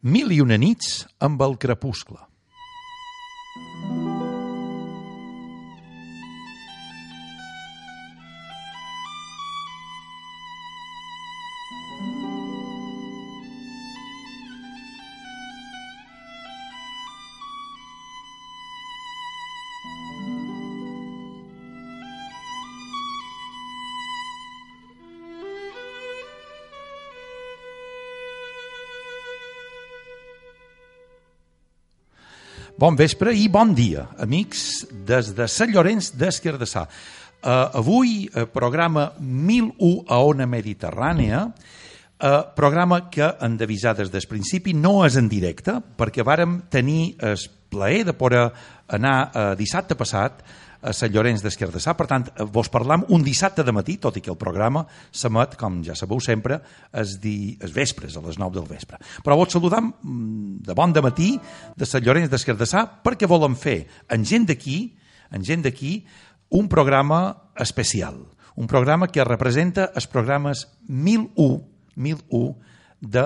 Mil i una nits amb el crepuscle. Bon vespre i bon dia, amics des de Sant Llorenç des Cardassar. Avui, programa 1001 a Ona Mediterrània, programa que hem d'avisar des del principi, no és en directe, perquè vàrem tenir el plaer de poder anar dissabte passat a Sant Llorenç des Cardassar. Per tant, vos parlam un dissabte de matí, tot i que el programa s'emet, com ja sabeu sempre, els vespres, a les 9 del vespre. Però vos saludam de bon dematí de Sant Llorenç des Cardassar perquè volem fer en gent d'aquí un programa especial, un programa que representa els programes 1001 de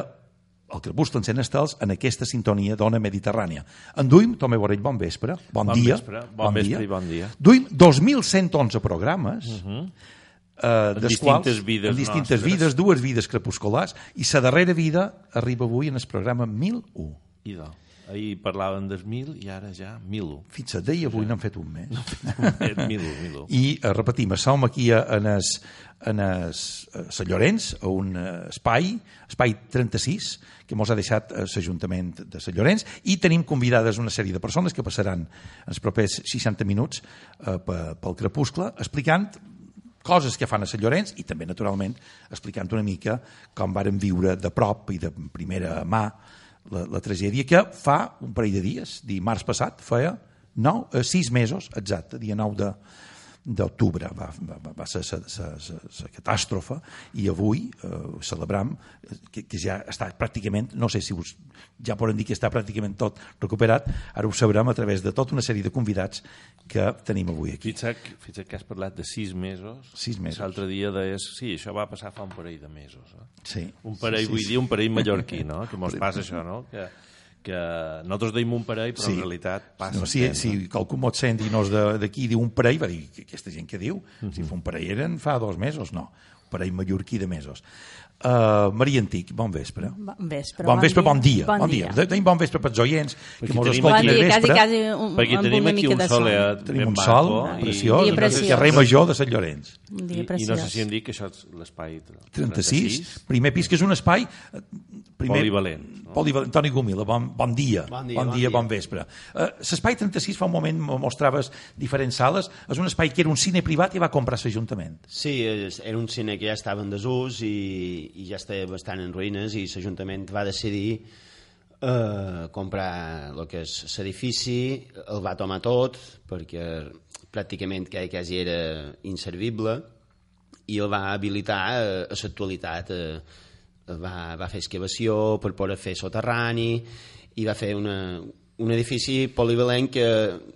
El crepuscle encén estels en aquesta sintonia d'Ona Mediterrània. En duim, Tomé Borrell, bon vespre, bon dia. Bon vespre i bon dia. Duim 2.111 programes, en distintes vides, dues vides crepusculars, i la darrera vida arriba avui en el programa 1001. Idò. Ahir parlaven del 1000 i ara ja 1001. Fixa't, d'ahir avui n'han fet un mes. 1001. I repetim, som aquí en Sant Llorenç, a un espai 36, que mos ha deixat l'Ajuntament de Sant Llorenç, i tenim convidades una sèrie de persones que passaran els propers 60 minuts pel crepuscle, explicant coses que fan a Sant Llorenç i també, naturalment, explicant una mica com varen viure de prop i de primera mà la tragèdia que fa un parell de dies, dimarts passat, feia 6 mesos, exacte, dia 9 d'octubre va ser la catàstrofe, i avui celebram que ja està pràcticament, no sé si ja podem dir que està pràcticament tot recuperat, ara ho sabrem a través de tota una sèrie de convidats que tenim avui aquí. Fixa't que has parlat de 6 mesos. 6 mesos. L'altre dia deies, sí, això va passar fa un parell de mesos. Sí. Un parell, vull dir, un parell mallorquí, no? Que mos passa això, no? Que nosaltres deim un parell, però en realitat passa. No, si qualcú mot sent i no és d'aquí diu un parell, va dir, aquesta gent que diu, si fa un parell eren fa 2 mesos, no, un parell mallorquí de mesos. Maria Antic, bon vespre. Bon vespre, bon dia. Tenim bon vespre pels oients, que mos escoltin al vespre. Perquè tenim aquí un soleat. Tenim un sol preciós, el carrer Major de Sant Llorenç. I no sé si hem dit que això és l'espai 36, primer pis, que és un espai polivalent. Toni Gomila, bon dia, bon vespre. L'espai 36 fa un moment mostraves diferents sales, és un espai que era un cine privat i va comprar l'Ajuntament. Sí, era un cine que ja estava en desús i ja estava bastant en ruïnes, i l'Ajuntament va decidir comprar el que és l'edifici, el va tomar tot perquè pràcticament quasi era inservible, i el va habilitar a l'actualitat. Va fer excavació per poder fer soterrani i va fer un edifici polivalent que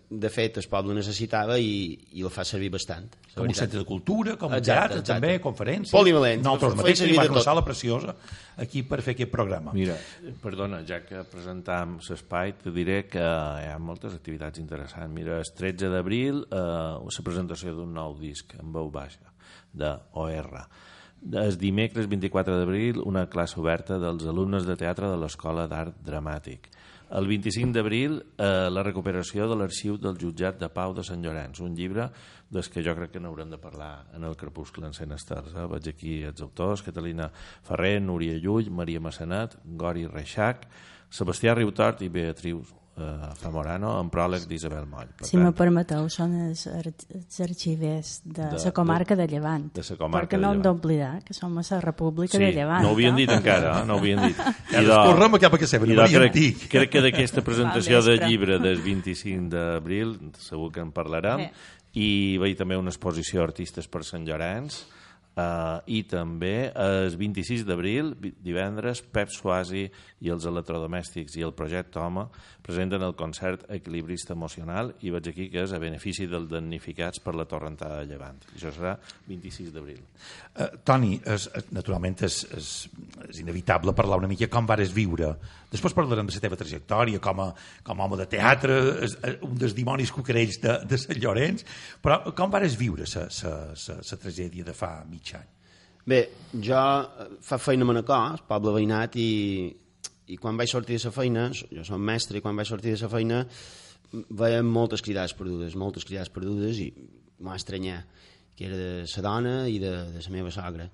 de fet el poble necessitava i el fa servir bastant. Com un centre de cultura, com un teatre, també, conferències. Polivalent. Nosaltres mateix tenim una sala preciosa aquí per fer aquest programa. Mira, perdona, ja que presentam l'espai, te diré que hi ha moltes activitats interessants. Mira, el 13 d'abril la presentació d'un nou disc en veu baixa d'OR. El dimecres 24 d'abril una classe oberta dels alumnes de teatre de l'Escola d'Art Dramàtic. El 25 d'abril la recuperació de l'arxiu del Jutjat de Pau de Sant Llorenç, un llibre des que jo crec que n'haurem de parlar en el crepuscle encén estels. Veig aquí els autors, Catalina Ferrer, Núria Llull, Maria Massanet, Gori Reixac, Sebastià Riutort i Beatriu Zamorano, en pròleg d'Isabel Moll. Si me permeteu, són els arxivers de la comarca de Llevant, perquè no hem d'oblidar que som a la República de Llevant. No ho havien dit encara, no ho havien dit. Correm cap a que sempre, Maria Antic. Crec que d'aquesta presentació de llibre del 25 d'abril segur que en parlarem, i veig també una exposició Artistes per Sant Llorenç I també el 26 d'abril, divendres, Pep Suasi i els electrodomèstics i el Projecte Home presenten el concert Equilibrista Emocional i veig aquí que és a benefici dels damnificats per la torrentada de Llevant. Això serà 26 d'abril. Toni, naturalment és inevitable parlar una mica com vares viure. Després parlarem de la teva trajectòria com a home de teatre, un dels dimonis cucarells de Sant Llorenç, però com vares viure la tragèdia de fa mig any? Bé, jo fa feina a Manacor, el poble veïnat, i quan vaig sortir de la feina, jo som mestre, i quan vaig sortir de la feina veiem moltes cridades perdudes, i m'ha estranyat, que era de la dona i de la meva sogra.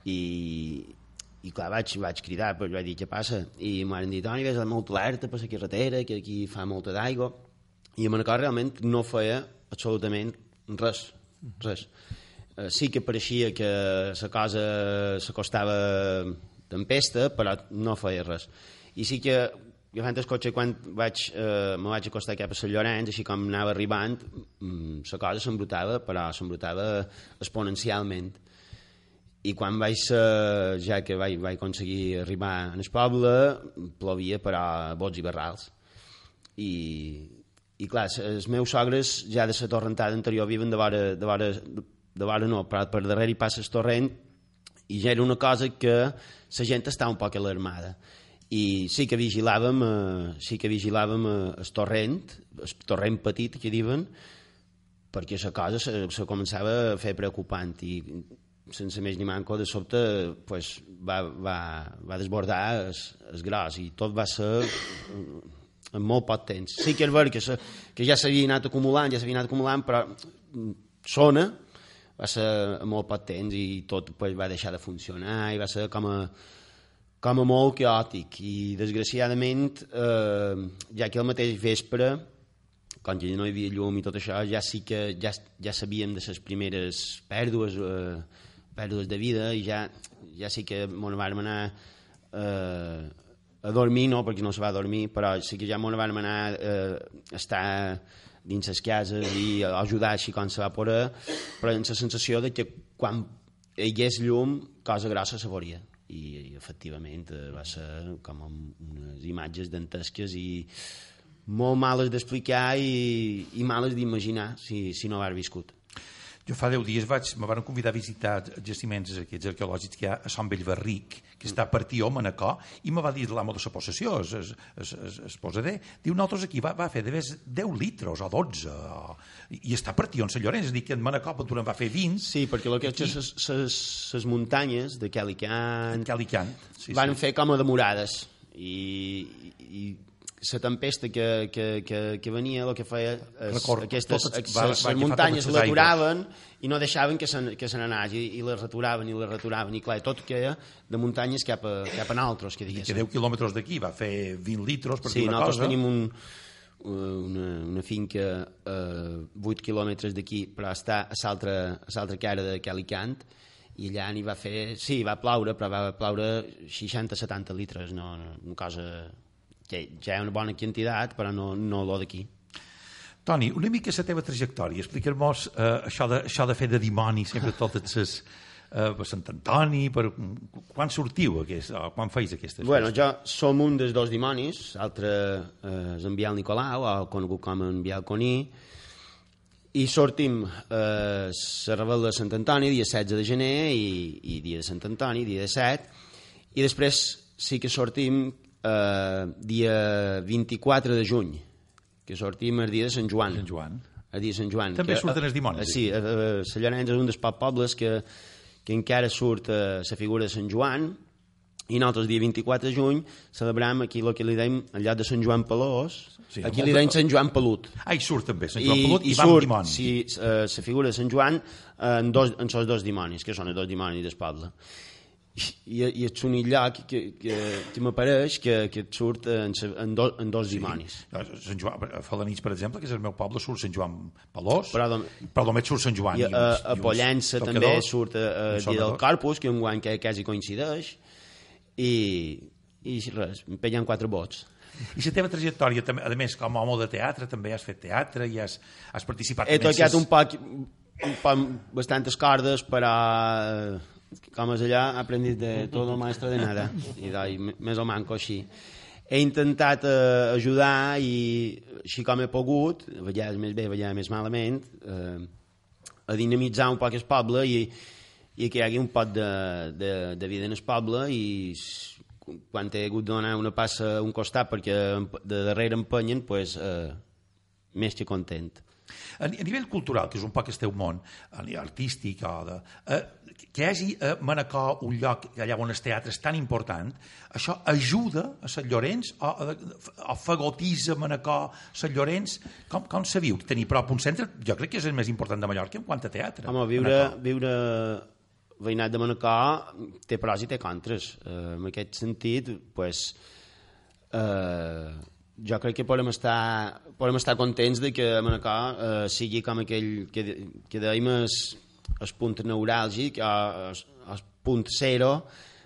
I clar, vaig cridar, però vaig dir, què passa? I m'han dit, Toni, ves molt alerta per la carretera, que aquí fa molta d'aigua. I a Manacor realment no feia absolutament res. Sí que pareixia que la cosa s'acostava tempesta, però no feia res. I sí que, agafant el cotxe, quan me vaig acostar cap a Sant Llorenç, així com anava arribant, la cosa s'embrutava, però s'embrutava exponencialment. I quan ja que vaig aconseguir arribar al poble, plovia, però bots i barrals. I clar, els meus sogres ja de la torrentada anterior viven de vora no, però per darrere hi passa el torrent, i ja era una cosa que la gent estava un poc alarmada. I sí que vigilàvem el torrent petit que diuen, perquè la cosa se començava a fer preocupant, i sense més ni manco, de sobte va desbordar el gros, i tot va ser en molt poc temps. Sí que és ver que ja s'havia anat acumulant, però sona va ser en molt poc temps, i tot va deixar de funcionar, i va ser com a molt caòtic. I desgraciadament, ja que el mateix vespre, quan ja no hi havia llum i tot això, ja sabíem de les primeres pèrdues de vida, i ja sí que m'ho vam anar a dormir, no perquè no se va dormir, però sí que ja m'ho vam anar a estar dins les cases i a ajudar així com se va poder, però amb la sensació de que quan hi hagués llum, cosa grossa se veuria. I efectivament va ser com unes imatges dantesques i molt males d'explicar i males d'imaginar si no ho has viscut. Jo fa 10 dies me van convidar a visitar jaciments aquests arqueològics que hi ha a Sant Bellverric, que està a partir a Manacor, i me va dir l'amo de la possessió, es posader, diu, nosaltres aquí va fer de 10 litres o 12, i està a partir on Sant Llorenç, és a dir, que en Manacor va fer 20. Sí, perquè el que les muntanyes de Calicant van fer com a demorades, i la tempesta que venia el que feia aquestes muntanyes l'aturaven i no deixaven que se n'anés, i les returaven, i clar, tot queia de muntanyes cap a nosaltres, que diguéssim. Que 10 quilòmetres d'aquí va fer 20 litres per dir una cosa. Sí, nosaltres tenim una finca a 8 quilòmetres d'aquí, però està a l'altra cara de Calicant, i allà n'hi va fer, sí, va ploure, però va ploure 60-70 litres, no una cosa que ja és una bona quantitat, però no lo d'aquí. Toni, una mica la teva trajectòria. Explica'm-nos això de fer de dimoni sempre totes les... per Sant Antoni, quan sortiu, quan feis aquestes festes? Bueno, jo som un dels dos dimonis, l'altre és en Biel Nicolau, o conegut com en Biel Coní, i sortim a la Rebel·la de Sant Antoni, dia 16 de gener, i dia de Sant Antoni, dia de 7, i després sí que sortim dia 24 de juny, que sortim el dia de Sant Joan. El dia de Sant Joan. També surten els dimonis. Sí, Sant Llorenç és un dels pobles que encara surt la figura de Sant Joan, i nosaltres dia 24 de juny celebrem aquí el que li deim, en lloc de Sant Joan Pelós, aquí li deim Sant Joan Pelut. Hi surt també Sant Joan Pelut i va amb dimonis. I surt la figura de Sant Joan en els dos dimonis, que són els dos dimonis del poble. I és un lloc que m'apareix que surt en dos dimonis. Sant Joan, a Falanits, per exemple, que és el meu poble, surt Sant Joan Pelós, però només surt Sant Joan. I a Pollença també surt el dia del Corpus, que un guany que quasi coincideix, i res, em peguen 4 vots. I la teva trajectòria, a més, com a home de teatre, també has fet teatre i has participat... He tocat un poc... bastantes cordes, però com és allà, he aprendit de tot el maestro de nada, i més o manco així. He intentat ajudar, i així com he pogut, a vegades més bé, a vegades més malament, a dinamitzar un poc el poble i que hi hagi un pot de vida en el poble, i quan he hagut de donar una passa a un costat perquè de darrere empenyen, doncs, més que content. A nivell cultural, que és un poc el teu món, a nivell artístic, que hi hagi a Manacor un lloc allà on el teatre és tan important, això ajuda a Sant Llorenç o fagotitza Manacor, Sant Llorenç? Com se viu? Tenir prop un centre, jo crec que és el més important de Mallorca en quant a teatre. Home, viure veïnat de Manacor té pros i té contres. En aquest sentit, doncs, jo crec que podem estar contents de que Manacor sigui com aquell que dèiem el punt neuràlgic, el punt zero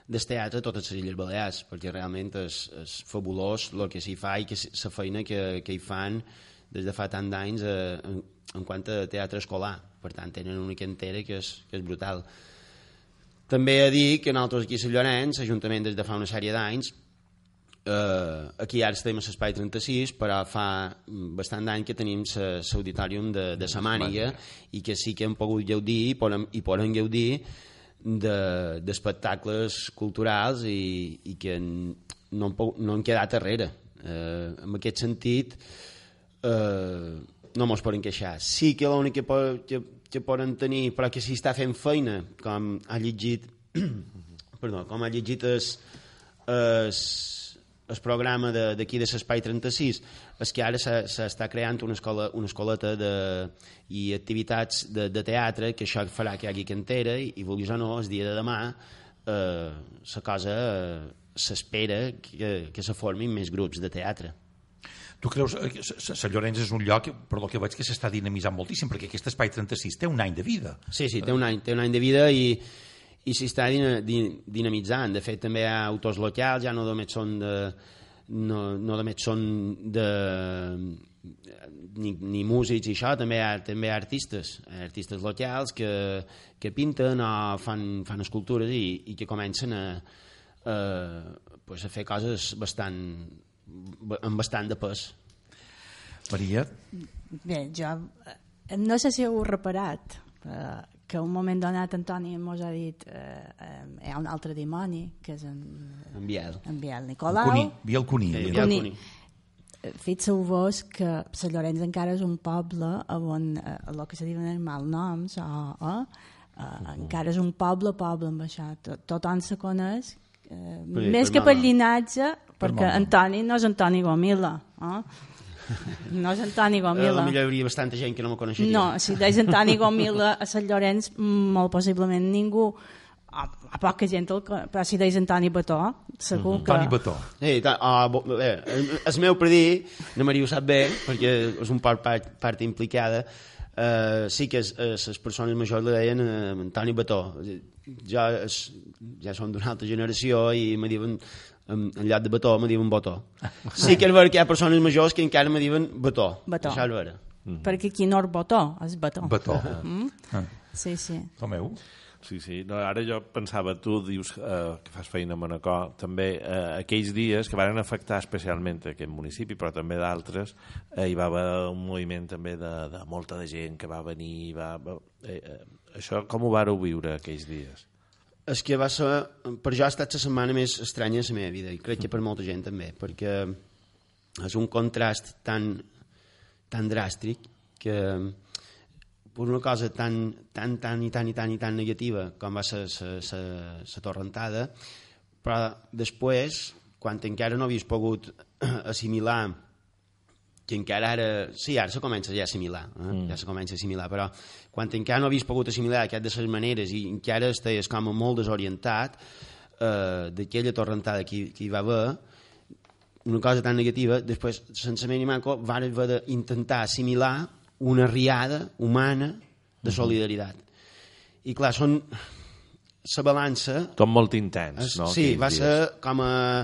del teatre a totes les Illes Balears, perquè realment és fabulós el que s'hi fa i la feina que hi fan des de fa tant d'anys en quant a teatre escolar. Per tant, tenen una cantera que és brutal. També he de dir que nosaltres aquí a Sant Llorenç, l'Ajuntament des de fa una sèrie d'anys, aquí ara estem a l'Espai 36, però fa bastant d'any que tenim l'auditorium de sa Màniga, i que sí que hem pogut gaudir i podem gaudir d'espectacles culturals i que no han quedat darrere. En aquest sentit, no mos poden queixar. Sí que l'únic que poden tenir, però que s'hi està fent feina, com ha llegit el programa d'aquí de l'Espai 36, és que ara s'està creant una escoleta i activitats de teatre, que això farà que hi hagi cantera, i vulguis o no, el dia de demà la cosa s'espera que se formin més grups de teatre. Tu creus que Sant Llorenç és un lloc, per el que veig, que s'està dinamitzant moltíssim, perquè aquest Espai 36 té un any de vida. Sí, té un any de vida, i s'està dinamitzant. De fet, també hi ha autors locals, ja no només són ni músics i això, també hi ha artistes locals que pinten o fan escultures i que comencen a fer coses amb bastant de pes. Maria? Bé, jo no sé si heu reparat que un moment donat Antoni ens ha dit hi ha un altre dimoni, que és en Biel Nicolau. Biel Cuní. Fixeu-vos que Sant Llorenç encara és un poble on el que se diuen els malnoms encara és un poble amb això. Tothom se coneix, més que per llinatge, perquè Antoni no és Antoni Gomila, no és Antoni Gomila. Potser hi hauria bastanta gent que no me coneixeria. No, si deies Antoni Gomila a Sant Llorenç, molt possiblement ningú, a poca gent, però si deies Antoni Bató, segur que... Antoni Bató. És meu per dir, no Maria ho sap bé, perquè és un part implicada, sí que les persones majors li deien Antoni Bató. Ja són d'una altra generació i me diuen, en lloc de Bató, me diuen Botó. Sí que és vera que hi ha persones majors que encara me diuen Bató. Això és vera. Perquè qui no és Botó, és Bató. Sí. Tomeu? Sí. No, ara jo pensava, tu dius que fas feina a Manacor, també aquells dies que van afectar especialment aquest municipi, però també d'altres, hi va haver un moviment també de molta de gent que va venir, això com ho vareu viure aquells dies? És que va ser, per jo ha estat la setmana més estranya de la meva vida, i crec que per molta gent també, perquè és un contrast tan dràstic que per una cosa tan negativa com va ser la torrentada, però després, quan encara no havies pogut assimilar, que encara ara se comença ja a assimilar, però quan encara no havies pogut assimilar aquestes maneres i encara estàs com molt desorientat d'aquella torrentada que hi va haver, una cosa tan negativa, després, sense més ni manco, van haver d'intentar assimilar una riada humana de solidaritat. I clar, són la balança... Tot molt intens, no? Sí, va ser com a...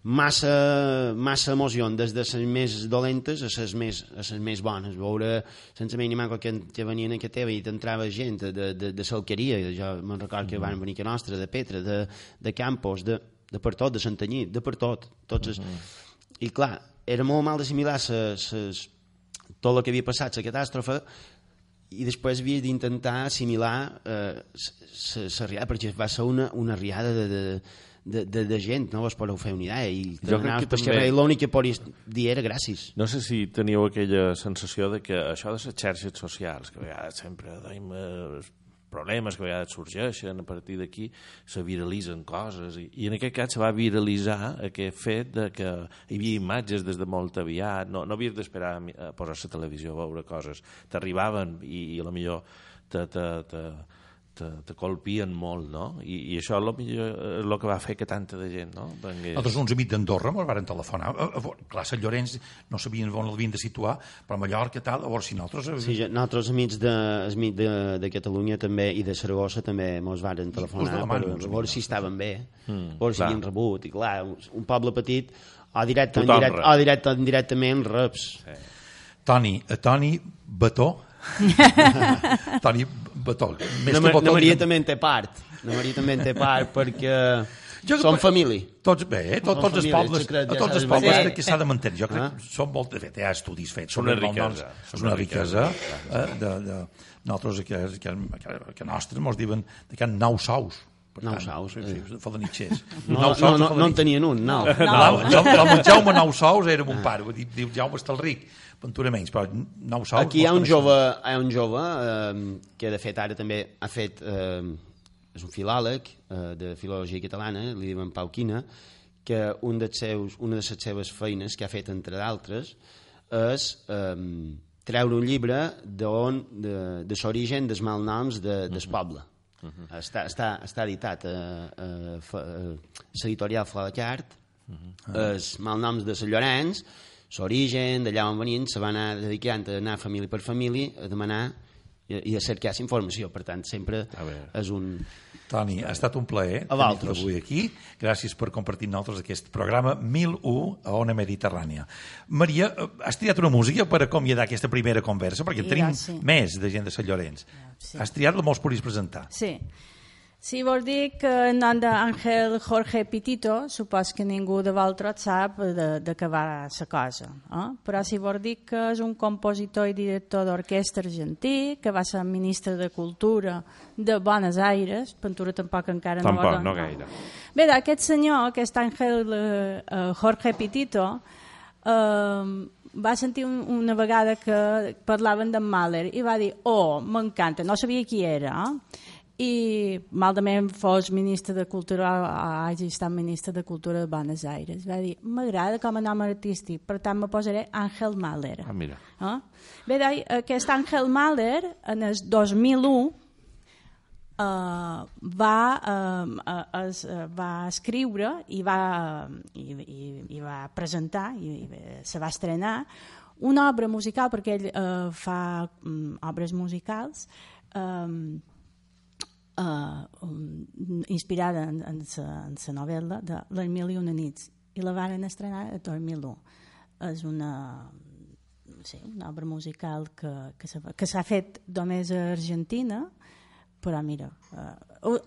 massa emoció des de les més dolentes a les més bones. Veure sense més ni manco que venien a que teva i t'entrava gent de Salqueria, jo me'n recordo que van venir a nostra, de Petra, de Campos, de per tot, de Santanyí, de per tot. I clar, era molt mal d'assimilar tot el que havia passat, la catàstrofe, i després havia d'intentar assimilar la riada, perquè va ser una riada de gent, no vos podeu fer una idea, i l'únic que podies dir era gràcies. No sé si teníeu aquella sensació de que això de les xarxes socials, que a vegades sempre tenim problemes que a vegades sorgeixen, a partir d'aquí se viralitzen coses, i en aquest cas se va viralitzar aquest fet de que hi havia imatges des de molt aviat, no havies d'esperar a posar la televisió a veure coses, t'arribaven i a lo millor te colpien molt, no? I això és el que va fer que tanta de gent, no? Nosaltres, uns amics d'Andorra, ens varen telefonar. Clar, Sant Llorenç no sabien on l'havien de situar, però a Mallorca, tal, a veure si nosaltres... Sí, nosaltres amics de Catalunya també i de Saragossa també ens varen telefonar per veure si estaven bé, veure si havien rebut. I clar, un poble petit, o directament reps. Toni Bató, Toni Bató. Maria també en té part perquè som família. Tots els pobles que s'ha de mantenir. Jo crec que són molt... De fet, hi ha estudis fets. Són una riquesa. És una riquesa. Nosaltres, que nostres, ens diuen que hi ha 9 sous. 9 sous. Falanitxers. No en tenien un, no. El Jaume 9 sous era mon pare. Diu Jaume Estalric. Ventura menys, però 9 sous... Aquí hi ha un jove que de fet ara també ha fet... És un filòleg de filologia catalana, li diuen Pau Quina, que una de les seves feines que ha fet, entre d'altres, és treure un llibre de l'origen dels malnoms del poble. Està editat a l'editorial Flaquart, els malnoms de Sant Llorenç, l'origen, d'allà on venien, se va anar dedicant a anar família per família, a demanar i a cercar informació. Per tant, sempre és un... Toni, ha estat un plaer tenir-te avui aquí. Gràcies per compartir amb nosaltres aquest programa 1001 a Ona Mediterrània. Maria, has triat una música per acomiadar aquesta primera conversa, perquè tenim més de gent de Sant Llorenç. Has triat la vols podries presentar. Sí, vol dir que en nom d'Àngel Jorge Pitito, supos que ningú de vosaltres sap de què va la cosa. Però sí vol dir que és un compositor i director d'orquestra argentí, que va ser ministre de Cultura de Buenos Aires, Ventura tampoc encara no va... no gaire. Bé, aquest senyor, aquest Àngel Jorge Pitito, va sentir una vegada que parlaven d'en Mahler i va dir, m'encanta, no sabia qui era, i malament fos ministre de Cultura, hagi estat ministre de Cultura de Buenos Aires. Va dir, m'agrada com a nom artístic, per tant me posaré Àngel Mahler. Mira. Bé, aquest Àngel Mahler, en el 2001, va escriure i va presentar, i se va estrenar, una obra musical, perquè ell fa obres musicals, inspirada en la novel·la de Les mil i una nits, i la van estrenar a 2001. És una obra musical que s'ha fet només a Argentina, però mira,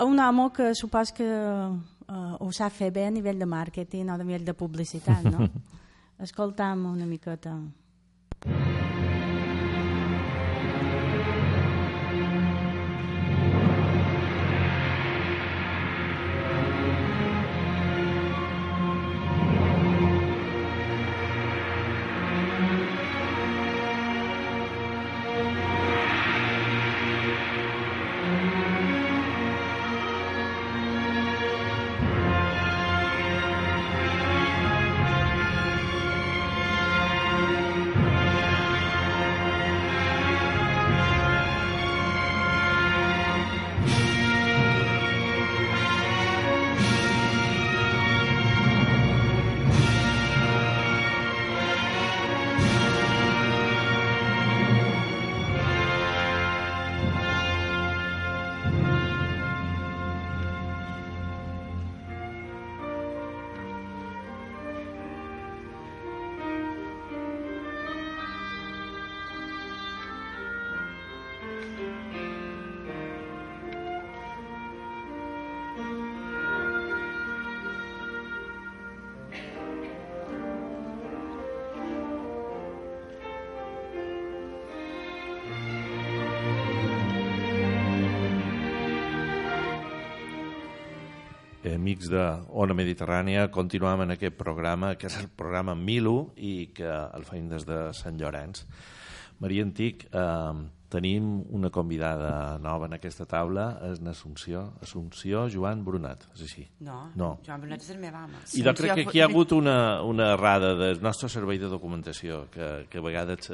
un home que supos que ho sap fer bé a nivell de màrqueting o a nivell de publicitat, no? Escoltam una miqueta. amics de Ona Mediterrània, continuem en aquest programa, que és el programa 1001 i que el feim des de Sant Llorenç. Maria Antic, tenim una convidada nova en aquesta taula, és Assumpció Joan Brunat, és així? No, Joan Brunat és el meu home. I jo crec que aquí hi ha hagut una errada del nostre servei de documentació, que a vegades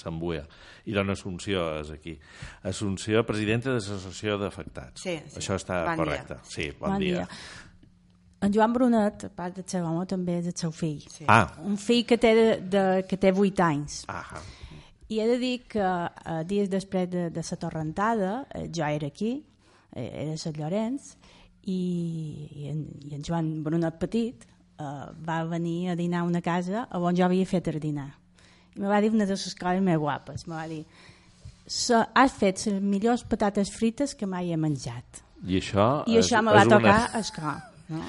s'embuia, i dona Assumpció és aquí. Assumpció, presidenta de l'Associació d'Afectats. Sí. Això està correcte. Sí, bon dia. En Joan Brunet, a part del seu home, també és el seu fill. Sí. Un fill que té 8 anys. I he de dir que dies després de la torrentada jo era aquí, era a Sant Llorenç, i en Joan Brunet petit va venir a dinar a una casa on jo havia fet el dinar. I me va dir una de les coses més guapes. Me va dir, has fet les millors patates frites que mai he menjat. I això me va tocar esclar. No?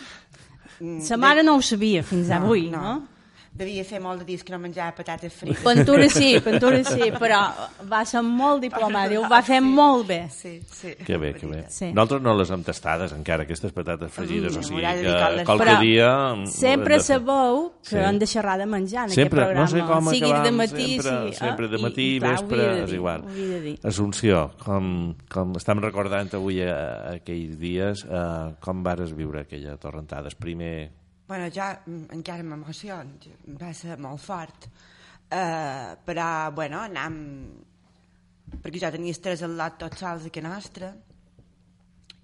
Sa mare no ho sabia fins avui, no? Devia fer molt de dies que no menjava patates frites. Pintura sí, però va ser molt diplomàtic, ho va fer molt bé. Sí. Que bé. Sí. Nosaltres no les hem tastades encara, aquestes patates fregides, o sigui que qualque dia... Sempre sabeu que hem de xerrar de menjar en aquest programa. No sé com sigui acabam, de matí, sempre de matí, vespre, és igual. Assumpció, com estem recordant avui aquells dies, com vares viure aquella torrentada? Bueno, jo encara m'emociono, va ser molt fort, però, bueno, perquè jo tenia estrès al lot tots sols aquí nostre,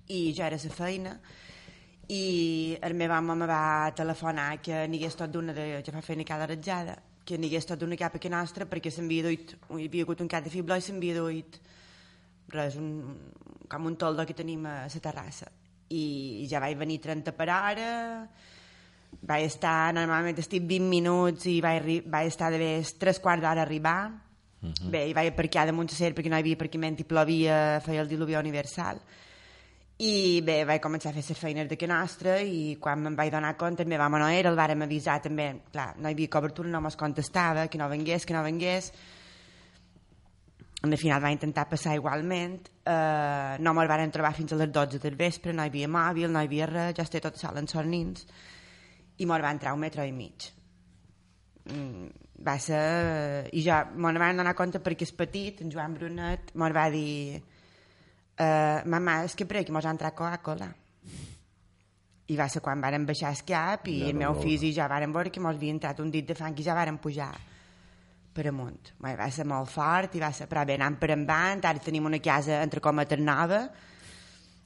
i jo era a la feina, i el meu home me va telefonar que n'hi hagués tot d'una, jo fa feina cada ratjada, que n'hi hagués tot d'una cap aquí nostra, perquè s'havia duit, hi havia hagut un cap de fibló i s'havia duit res, com un toldo que tenim a la terrassa, i ja vaig venir 30 per hora. Vaig estar, normalment estic 20 minuts i vaig estar de més 3/4 d'hora a arribar. Bé, i vaig aparcar damunt la serra perquè no hi havia aparcament i plovia, feia el diluvió universal. I bé, vaig començar a fer les feines d'aquí nostra i quan me'n vaig donar compte, el meu home no era, el vàrem avisar també, clar, no hi havia cobertura, no mos contestava, que no vengués. Al final va intentar passar igualment, no me'l varen trobar fins a les 12 del vespre, no hi havia mòbil, no hi havia res, jo estava tot sol en els nins, i me'l va entrar 1,5 metres. Va ser... I jo me'n van donar compte perquè és petit, en Joan Brunet me'l va dir mamà, és que per aquí me'ls ha entrat Coca-Cola. I va ser quan varen baixar el cap i el meu fill i jo varen veure que me'ls havia entrat un dit de fang i ja varen pujar per amunt. Va ser molt fort, i va ser, però bé, anant per endavant, ara tenim una casa entre cometes nova,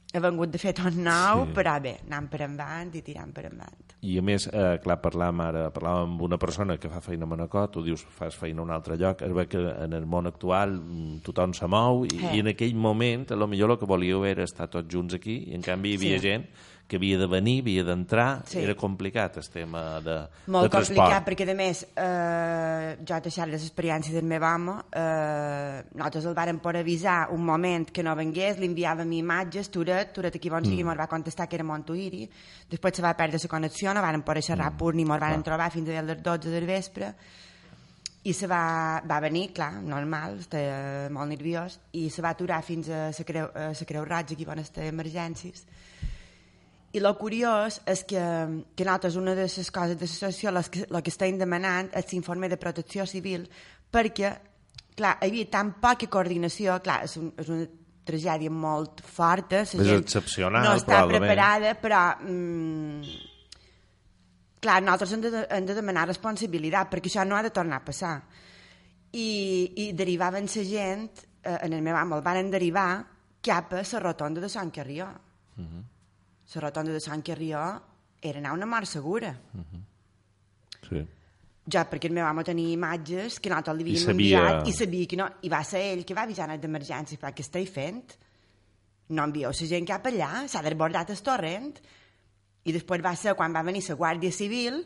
he vengut de fer tot nou, però bé, anant per endavant i tirant per endavant. I a més, clar, parlàvem amb una persona que fa feina a Manacor, tu dius fas feina a un altre lloc, es ve que en el món actual tothom se mou i en aquell moment, potser el que volíeu era estar tots junts aquí, i en canvi hi havia gent que havia de venir, havia d'entrar, era complicat el tema de transport. Molt complicat, perquè a més, jo he deixat les experiències del meu home, nosaltres el vàrem per avisar un moment que no vengués, li enviàvem imatges, Turet aquí bon sigui, ens va contestar que era Montuïri, després se va perdre la connexió, no vàrem poder xerrar pur ni ens vàrem trobar fins a les 12 del vespre, i se va venir, clar, normal, estava molt nerviós, i se va aturar fins a la Creu Roja, aquí on està emergències. I el curiós és que nosaltres una de les coses de l'associació el que estem demanant és l'informe de protecció civil, perquè, clar, hi havia tan poca coordinació, clar, és una tragèdia molt forta, la gent excepcional, no està preparada, però clar, nosaltres hem de demanar responsabilitat, perquè això no ha de tornar a passar. I derivaven la gent, en el meu home el van derivar cap a la rotonda de Sant Carrió. La rotonda de Sant Carrió era anar una mort segura. Sí. Ja, perquè el meu home tenia imatges que nosaltres li havíem enviat i sabia que no, i va ser ell que va avisar d'emergència, perquè què esteu fent? No envieu la gent cap allà, s'ha desbordat el torrent. I després va ser quan va venir la Guàrdia Civil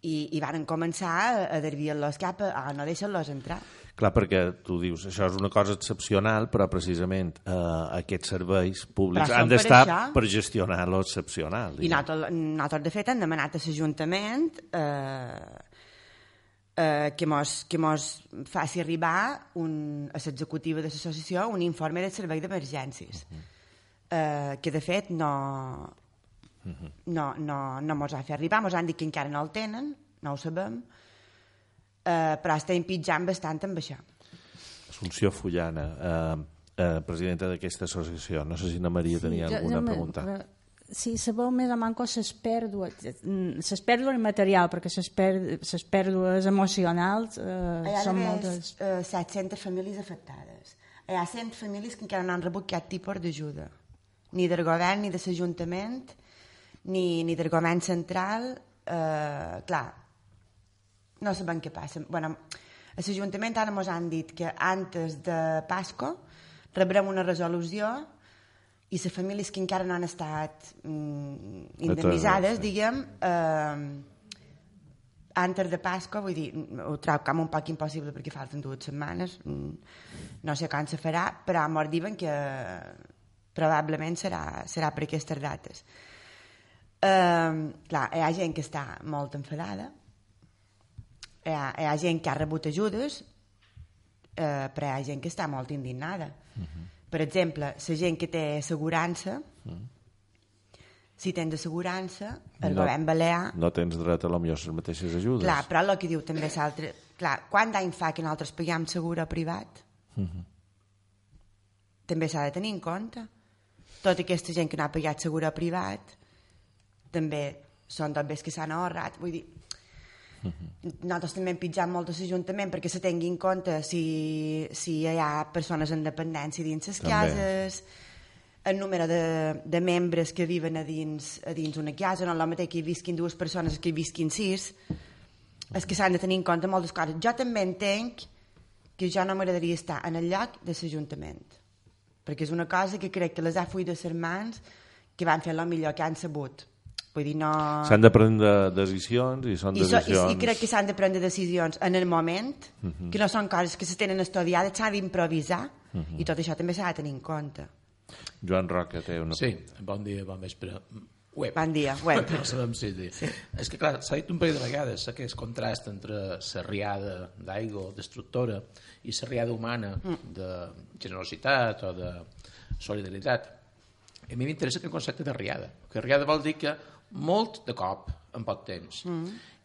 i van començar a desviar-los cap a no deixar-los entrar. Clar, perquè tu dius, això és una cosa excepcional, però precisament aquests serveis públics han d'estar per gestionar l'excepcional. I nosaltres, de fet, hem demanat a l'Ajuntament que mos faci arribar a l'executiva de l'associació un informe del servei d'emergències, que de fet no no mos ha fet arribar, mos han dit que encara no el tenen, no ho sabem, però estem pitjant bastant amb això. Assumpció Fullana, presidenta d'aquesta associació. No sé si na Maria tenia alguna pregunta. Sí, sabeu més o manco les pèrdues materials, perquè les pèrdues emocionals són moltes. 700 famílies afectades. Hi ha 100 famílies que encara no han rebut cap tipus d'ajuda, ni del govern, ni de l'Ajuntament, ni del govern central. Clar, no sabem què passa. Bueno, a l'Ajuntament ara ens han dit que antes de Pasco rebrem una resolució i les famílies que encara no han estat indemnitzades, diguem, antes de Pasco, vull dir, ho trobo com un poc impossible perquè falten 2 setmanes, no sé quan se farà, però ens diuen que probablement serà per aquestes dates. Clar, hi ha gent que està molt enfadada, hi ha gent que ha rebut ajudes, però hi ha gent que està molt indignada. Per exemple, la gent que té assegurança, si tens assegurança, el govern balear... No tens dret a les mateixes ajudes. Clar, però el que diu també l'altre... Clar, quant d'any fa que nosaltres paguem seguro privat? També s'ha de tenir en compte. Tota aquesta gent que no ha pagat seguro privat també són tots que s'han ahorrat. Vull dir, nosaltres també hem pitjat molt a l'Ajuntament perquè se tingui en compte si hi ha persones en dependència dins les cases, el número de membres que viven a dins una casa, no és el mateix que hi visquin 2 persones que hi visquin 6. És que s'han de tenir en compte moltes coses. Jo també entenc que jo no m'agradaria estar en el lloc de l'Ajuntament, perquè és una cosa que crec que les ha fuit de les mans que van fer el millor que han sabut. Vull dir, no... S'han de prendre decisions i són decisions... I crec que s'han de prendre decisions en el moment, que no són coses que se tenen estudiades, s'ha d'improvisar, i tot això també s'ha de tenir en compte. Joan Roca té una... Sí, bon dia, bon vespre. Bon dia, web. No sabem si dir. Sí. És que, clar, s'ha dit un parell de vegades aquest contrast entre la riada d'aigua destructora i la riada humana de generositat o de solidaritat. A mi m'interessa el concepte de riada, perquè riada vol dir que molt de cop en poc temps.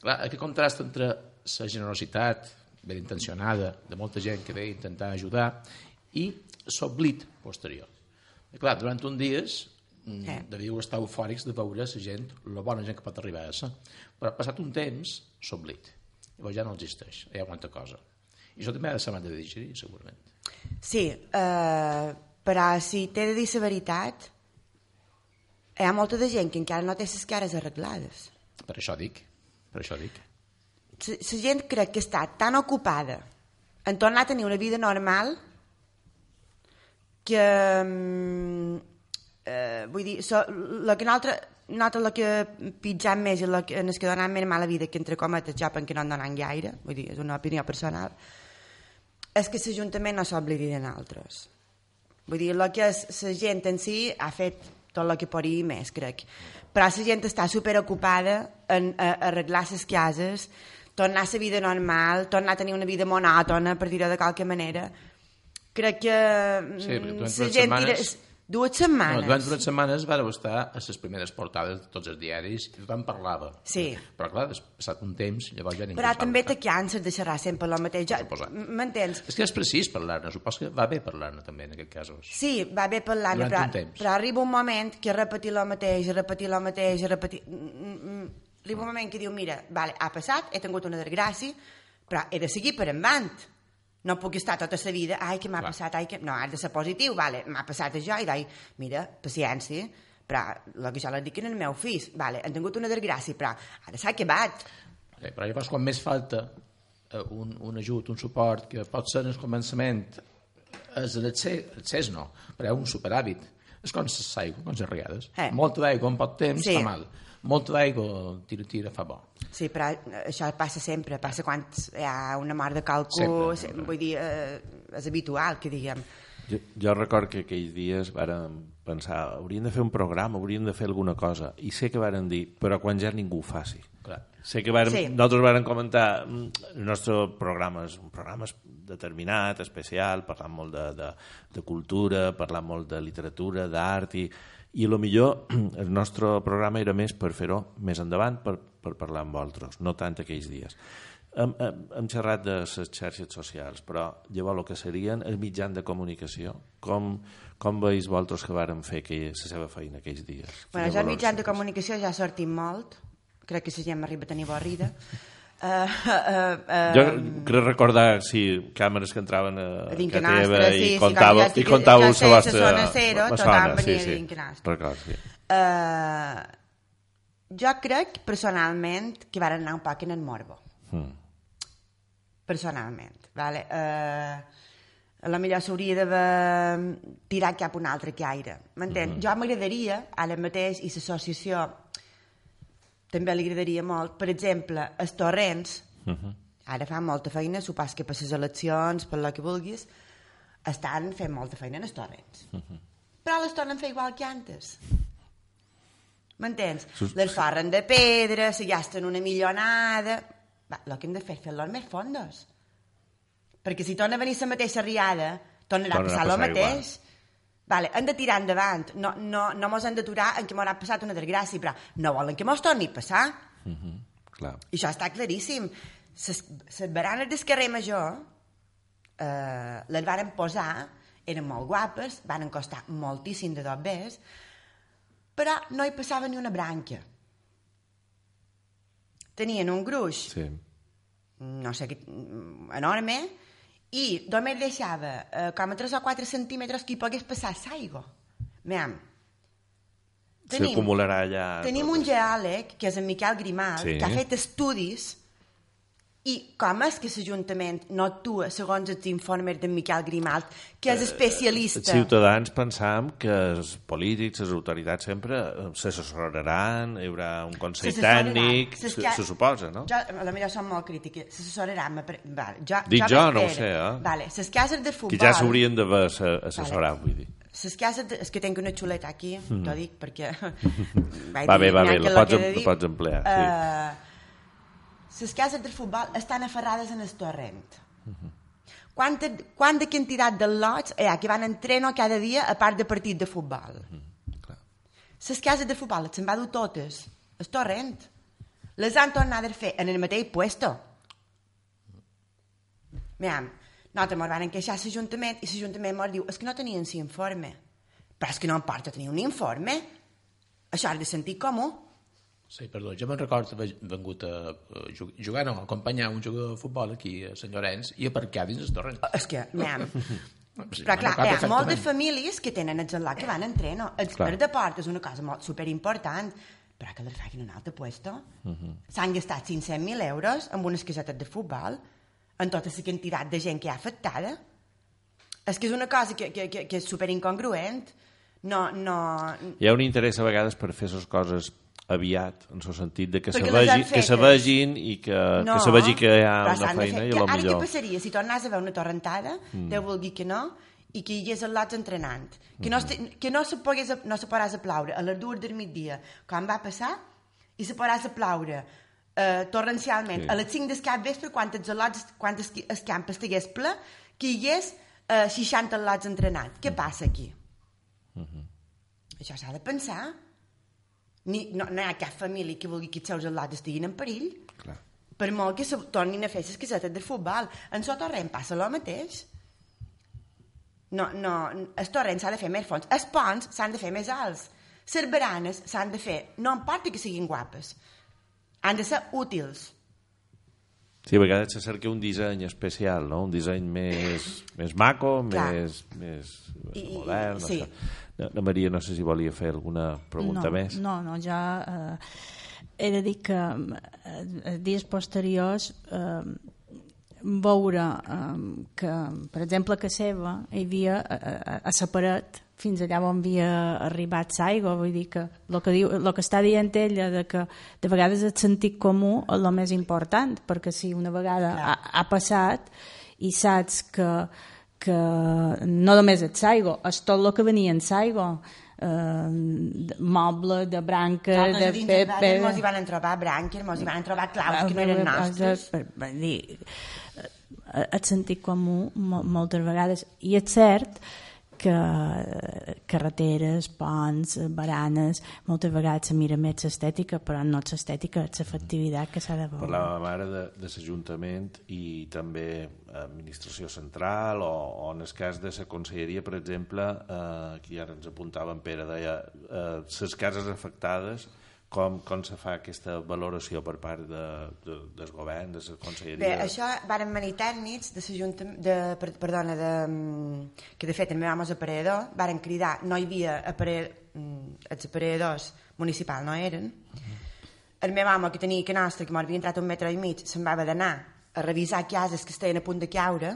Clar, aquest contrast entre la generositat ben intencionada de molta gent que ve a intentar ajudar i l'oblit posterior. I clar, durant uns dies devíeu estar eufòrics de veure la gent, la bona gent que pot arribar a ser, però passat un temps s'oblit. Llavors ja no existeix, hi ha molta cosa. I això també ha de ser de digerir, segurament. Sí, però si t'he de dir la veritat, hi ha molta de gent que encara no té les cares arreglades. Per això dic. La gent crec que està tan ocupada en tornar a tenir una vida normal que vull dir, el que nosaltres que pitjam més i en el que donem més mala vida, que entre cometes ja perquè no en donen gaire, vull dir, és una opinió personal, és que l'Ajuntament no s'oblidi de nosaltres. Vull dir, el que és la gent en si ha fet tot el que podria més, crec. Però la gent està superocupada en arreglar les cases, tornar a la vida normal, tornar a tenir una vida monòtona, per dir-ho de qualque manera. Crec que sí, la gent... 2 setmanes. Durant 2 setmanes vàreu estar a les primeres portades de tots els diaris i tothom parlava. Sí. Però clar, passat un temps, llavors ja ningú... Però també te canses de xerrar sempre el mateix. M'entens? És que és precís parlar-ne, supos que va bé parlar-ne també en aquests casos. Sí, va bé parlar-ne, però arriba un moment que repetir el mateix, arriba un moment que diu, mira, vale, ha passat, he tingut una desgràcia, però he de seguir per endavant. No puc estar tota la vida, ai, que m'ha passat, ai, que... No, has de ser positiu, vale, m'ha passat això, i dic, mira, paciència, però el que jo li dic en el meu fill, vale, han tingut una desgràcia, però ara s'ha acabat. Sí, però llavors quan més falta un ajut, un suport, que pot ser en el començament, és l'accés no, però és un superhàbit. És com l'aigua, com les regades. Molta d'aigua en poc temps fa mal. Molta d'aigua, tira, fa bo. Sí, però això passa sempre, passa quan hi ha una mort de qualcú, vull dir, és habitual que diguem. Jo record que aquells dies vàrem pensar, hauríem de fer un programa, hauríem de fer alguna cosa, i sé que vàrem dir, però quan ja ningú ho faci. Clar. Sé que nosaltres vàrem comentar, el nostre programa és un programa determinat, especial, parlant molt de cultura, parlant molt de literatura, d'art, i I millor el nostre programa era més per fer-ho més endavant, per parlar amb vosaltres, no tant aquells dies. Hem xerrat de les xarxes socials, però llavors el que serien els mitjans de comunicació, com veus vosaltres que varen fer la seva feina aquells dies? Bueno, ja els mitjans de comunicació ja sortim molt, crec que si ja hem arribat a tenir avorrida. Jo crec recordar càmeres que entraven a teva i contàveu la vostra tothom venia a Dincanastre. Jo crec personalment que van anar un poc en el morbo. Personalment, vale? A la millor s'hauria d'haver tirat cap un altre caire, m'entens? Jo m'agradaria ara mateix, i l'associació també li agradaria molt, per exemple, els torrents, ara fan molta feina, s'ho pas que per les eleccions, per el que vulguis, estan fent molta feina en els torrents. Però les tornen a fer igual que antes. M'entens? Les forren de pedra, se gasten una milionada. El que hem de fer és fer-los més fondos. Perquè si torna a venir la mateixa riada, tornarà a passar el mateix. Vale, hem de tirar endavant. No mos hem d'aturar en què m'haurà passat una desgràcia, però no volen que mos torni a passar. Clar. I això està claríssim. Les baranes del carrer Major les varen posar, eren molt guapes, van costar moltíssim de dobbers, però no hi passava ni una branca. Tenien un gruix, no sé, enorme, i només deixava com a 3 o 4 centímetres que hi pogués passar l'aigua. S'acumularà allà... Tenim un geòleg, que és en Miquel Grimal, que ha fet estudis, i com és que l'Ajuntament no actua segons els informes d'en Miquel Grimal, que és especialista? Els ciutadans pensam que els polítics, les autoritats sempre s'assessoraran, hi haurà un consell tècnic, se suposa, no? Jo, a la millor som molt crítiques, s'assessoraran. Dic jo, no ho sé, Vale, les cases de futbol... Que ja s'haurien d'haver assessorat, vull dir. Les cases... És que tinc una xuleta aquí, t'ho dic, perquè... Va bé, la pots emplear, sí. Les cases de futbol estan aferrades en el torrent. Quanta quantitat de lots que van entrenar cada dia a part de partit de futbol? Les cases de futbol se'n va dur totes al torrent. Les han tornat a fer en el mateix puesto. Nosaltres ens van queixar a l'Ajuntament i l'Ajuntament ens diu és que no tenien l'informe. Però és que no em porta tenir un informe. Això és de sentit comú. Sí, perdó, jo me'n recordo haver vengut a jugar, no, a acompanyar un jugador de futbol aquí a Sant Llorenç i aparcar dins el torrent. És que, però clar, hi ha moltes famílies que tenen el gelot que van a entrenar. El de port és una cosa molt superimportant, però que les facin un altre puesto. S'han gastat 500.000 euros amb unes casetes de futbol, en tota la quantitat de gent que hi ha afectada. És que és una cosa que és superincongruent. No... Hi ha un interès a vegades per fer les coses aviat, en el sentit de que se vegin i que se vegi que hi ha una feina i a lo millor... Ara què passaria si tornàs a veure una torrentada, Déu vulgui que no, i que hi hagués el lots entrenant, que no se podràs aplaure a les 2 del migdia, com va passar, i se podràs aplaure torrencialment a les 5 del capvespre quan el camp estigués ple, que hi hagués 60 lots entrenant. Què passa aquí? Això s'ha de pensar. No hi ha cap família que vulgui que els seus al·lots estiguin en perill. Per molt que se tornin a fer les casetes de futbol. En el torrent passa el mateix. El torrent s'ha de fer més fons. Els ponts s'han de fer més alts. Les baranes s'han de fer, no importa que siguin guapes, han de ser útils. Sí, a vegades se cerca un disseny especial, no? Un disseny més maco, més modern. Sí. La Maria, no sé si volia fer alguna pregunta més. No, jo he de dir que dies posteriors veure que, per exemple, a Seva hi havia a la paret fins allà on havia arribat l'aigua, vull dir que el que està dient ella de que de vegades el sentit comú és el més important, perquè si una vegada ha passat i saps que no només és l'aigua, és tot el que venia en l'aigua, moble, de branca... de pedra. Mos hi van trobar branques, mos hi van trobar claus que no eren nostres. El sentit comú moltes vegades. I és cert que carreteres, ponts, baranes, moltes vegades se mira més l'estètica, però no és l'estètica, és l'efectivitat que s'ha de veure. Parlàvem ara de l'Ajuntament i també administració central o en el cas de la conselleria, per exemple, aquí ara ens apuntava en Pere, deia les cases afectades, com se fa aquesta valoració per part del govern, de la conselleria? Bé, això varen venir tècnics de l'Ajuntament, que de fet el meu home és aparellador, varen cridar, no hi havia els aparelladors municipals, no eren. El meu home, que tenia que nostre, que m'havia entrat 1,5 metres, se'n va haver d'anar a revisar cases que estaven a punt de caure,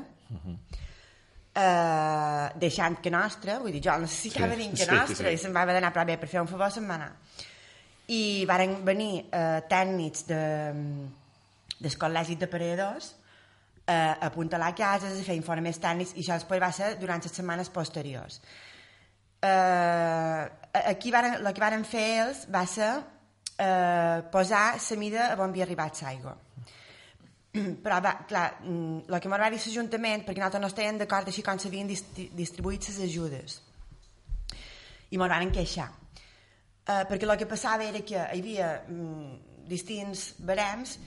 deixant que nostre, vull dir, jo necessitava dir que nostre, i se'n va haver d'anar, però bé, per fer un favor se'n va anar. I varen venir tècnics del col·legi d'aparadors a apuntalar cases, a fer informes tècnics, i això després va ser durant les setmanes posteriors. Aquí el que varen fer ells va ser posar la mida a on havia arribat l'aigua. Però, clar, el que m'ho va dir l'Ajuntament, perquè nosaltres no estàvem d'acord així com s'havien distribuït les ajudes, i m'ho van queixar. Perquè el que passava era que hi havia distints barems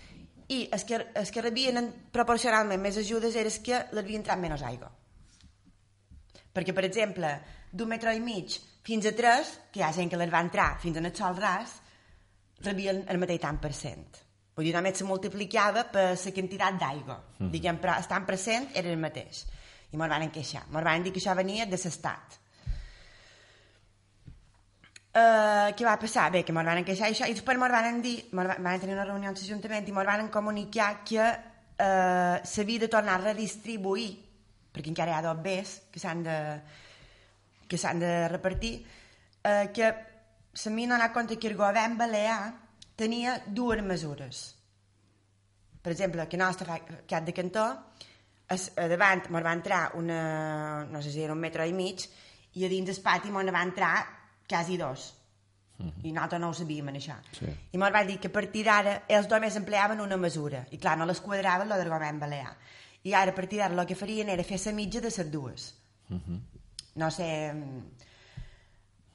i els que rebien proporcionalment més ajudes eren els que l'havien entrat menys aigua. Perquè, per exemple, d'1,5 metres fins a 3, que hi ha gent que les va entrar fins en el sol ras, rebien el mateix tant per cent. Vull dir, només se multiplicava per la quantitat d'aigua. Diguem, però el tant per cent era el mateix. I m'ho van queixar. M'ho van dir que això venia de l'Estat. Què va passar? Bé, que m'ho van queixar això, i després m'ho van dir, van tenir una reunió amb l'Ajuntament i m'ho van comunicar que s'havia de tornar a redistribuir, perquè encara hi ha 2 bes que s'han de repartir, que se m'hi ha donat compte que el govern balear tenia 2 mesures. Per exemple, que nostre cap de cantó, a davant m'ho va entrar no sé si era 1,5 metres, i a dins del pati m'ho va entrar quasi 2. I nosaltres no ho sabíem, això. Sí. I m'ho va dir que a partir d'ara ells només empleaven una mesura, i clar, no les quadraven el del govern balear. I ara a partir d'ara el que farien era fer la mitja de les 2. No sé...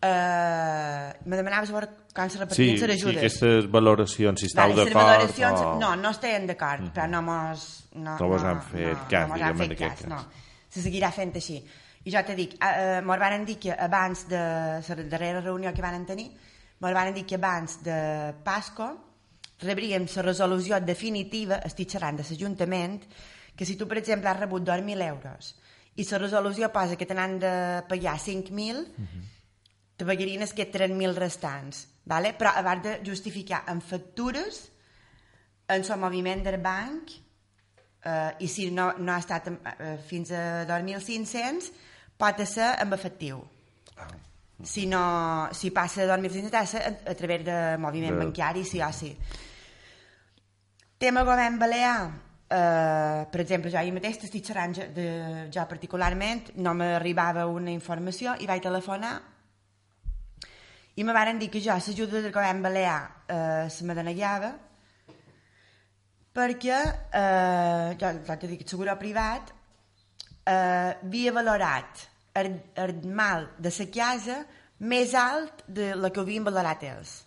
me demanaves com se repartien les ajudes. Sí, aquestes valoracions, si estàu d'acord o... No estàvem d'acord, però no mos han fet cas, diguem, en aquest cas. No, se seguirà fent així. I jo te dic, m'ho van dir que abans de la darrera reunió que van tenir, m'ho van dir que abans de Pasco rebríem la resolució definitiva, estic xerrant de l'Ajuntament, que si tu, per exemple, has rebut 2.000 euros i la resolució posa que te n'han de pagar 5.000, te pagarien els 3.000 restants, ¿vale? Però abans de justificar en factures, en el moviment del banc, i si no ha estat fins a 2.500, pot ser amb efectiu. Si passa de 2.500, ha de ser a través de moviment bancari, sí o sí. Tema govern balear, per exemple, jo ahir mateix estic xerrant jo particularment, no m'arribava una informació i vaig telefonar i me van dir que jo l'ajuda del govern balear se me denegava perquè jo t'he dit que el seguro privat havia valorat el mal de la casa més alt de la que havien valorat ells.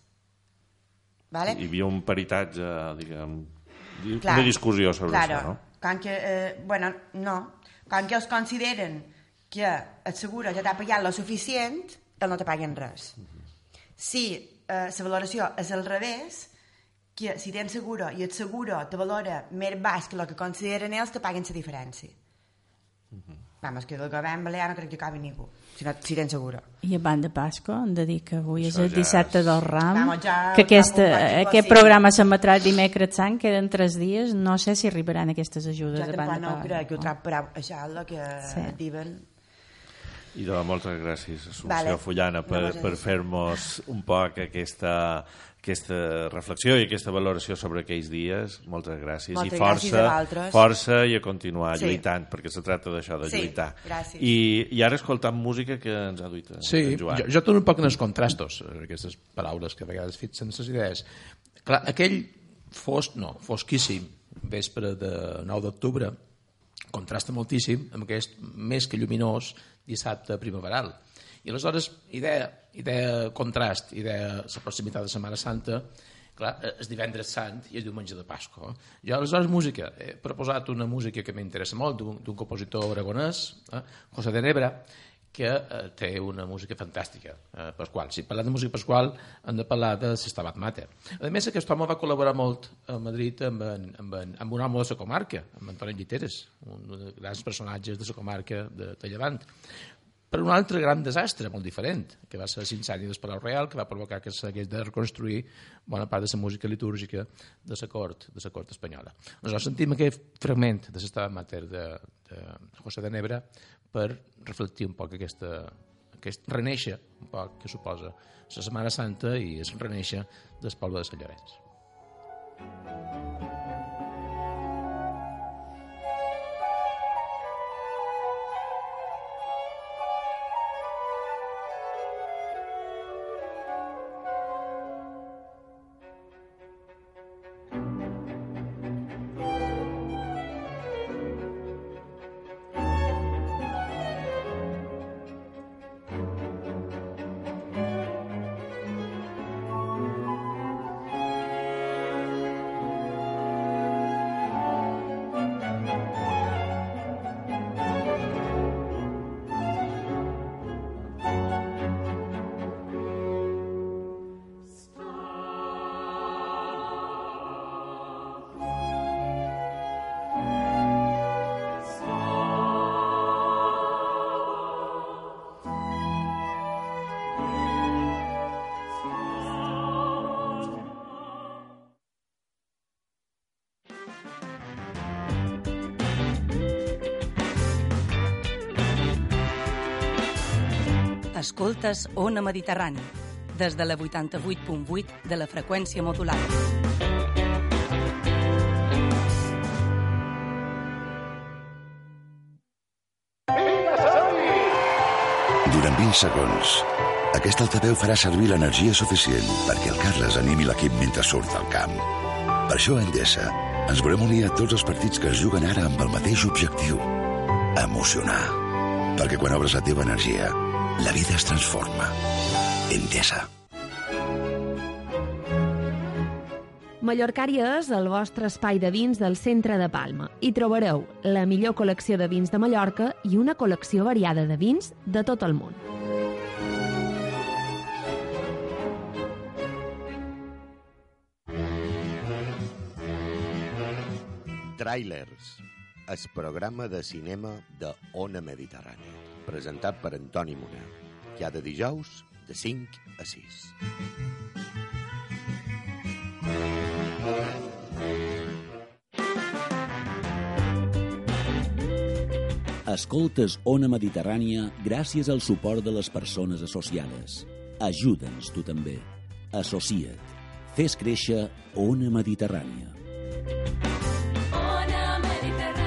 Vale? Hi havia un peritatge, diguem, una discussió sobre això, no? Com que, com que els consideren que el seguro ja t'ha pagat lo suficient, ells no te paguen res. Si la valoració és al revés, que si tens seguro i el seguro te valora més baix que el que consideren ells, te paguen la diferència. Vamos, que del govern balear no crec que acabi ningú, si tens seguro. I abans de Pasco hem de dir que avui és el dissabte del Ram, Vamos, que aquest programa s'emetrà el dimecres sant, queden 3 dies, no sé si arribaran aquestes ajudes abans de Pasco. Jo tampoc no crec que ho trobarà, això és el que diuen. I de moltes gràcies, Assumpció Fullana, per fer-nos un poc aquesta reflexió i aquesta valoració sobre aquells dies. Moltes gràcies. Moltes gràcies a vosaltres. Força i a continuar lluitant, perquè se tracta d'això, de lluitar. Gràcies. I ara escoltant música que ens ha duit en Joan. Jo torno un poc en els contrastos, aquestes paraules que a vegades fixen les idees. Clar, aquell fosquíssim vespre de 9 d'octubre contrasta moltíssim amb aquest més que lluminós dissabte primaveral. I aleshores, idea contrast, idea la proximitat de Setmana Santa, clar, és divendres sant i és diumenge de Pasqua. Jo, aleshores, música. He proposat una música que m'interessa molt, d'un compositor aragonès, José de Nebra, que té una música fantàstica, Pasqual. Si parlem de música Pasqual, hem de parlar de Stabat Mater. A més, aquest home va col·laborar molt a Madrid amb un home de la comarca, amb Antoni Lliteres, un dels grans personatges de la comarca de Llevant. Per un altre gran desastre, molt diferent, que va ser l'incendi del Palau Real, que va provocar que s'hagués de reconstruir bona part de la música litúrgica de la cort espanyola. Nosaltres sentim aquest fragment de l'Stabat Mater de José de Nebra per reflectir un poc aquest reneixer un poc que suposa la Setmana Santa i el reneixer del poble de Sant Llorenç. Escoltes Ona Mediterrani, des de la 88.8 de la freqüència modulada. Durant 20 segons, aquest altaveu farà servir l'energia suficient perquè el Carles animi l'equip mentre surt al camp. Per això a Endesa ens volem unir a tots els partits que es juguen ara amb el mateix objectiu: emocionar. Perquè quan obres la teva energia, la vida es transforma. Endesa. Mallorcària és el vostre espai de vins del centre de Palma. Hi trobareu la millor col·lecció de vins de Mallorca i una col·lecció variada de vins de tot el món. Trailers, el programa de cinema de Ona Mediterrània, presentat per Antoni Munar, cada dijous de 5 a 6. Escoltes Ona Mediterrània gràcies al suport de les persones associades. Ajuda'ns tu també. Associa't. Fes créixer Ona Mediterrània. Ona Mediterrània.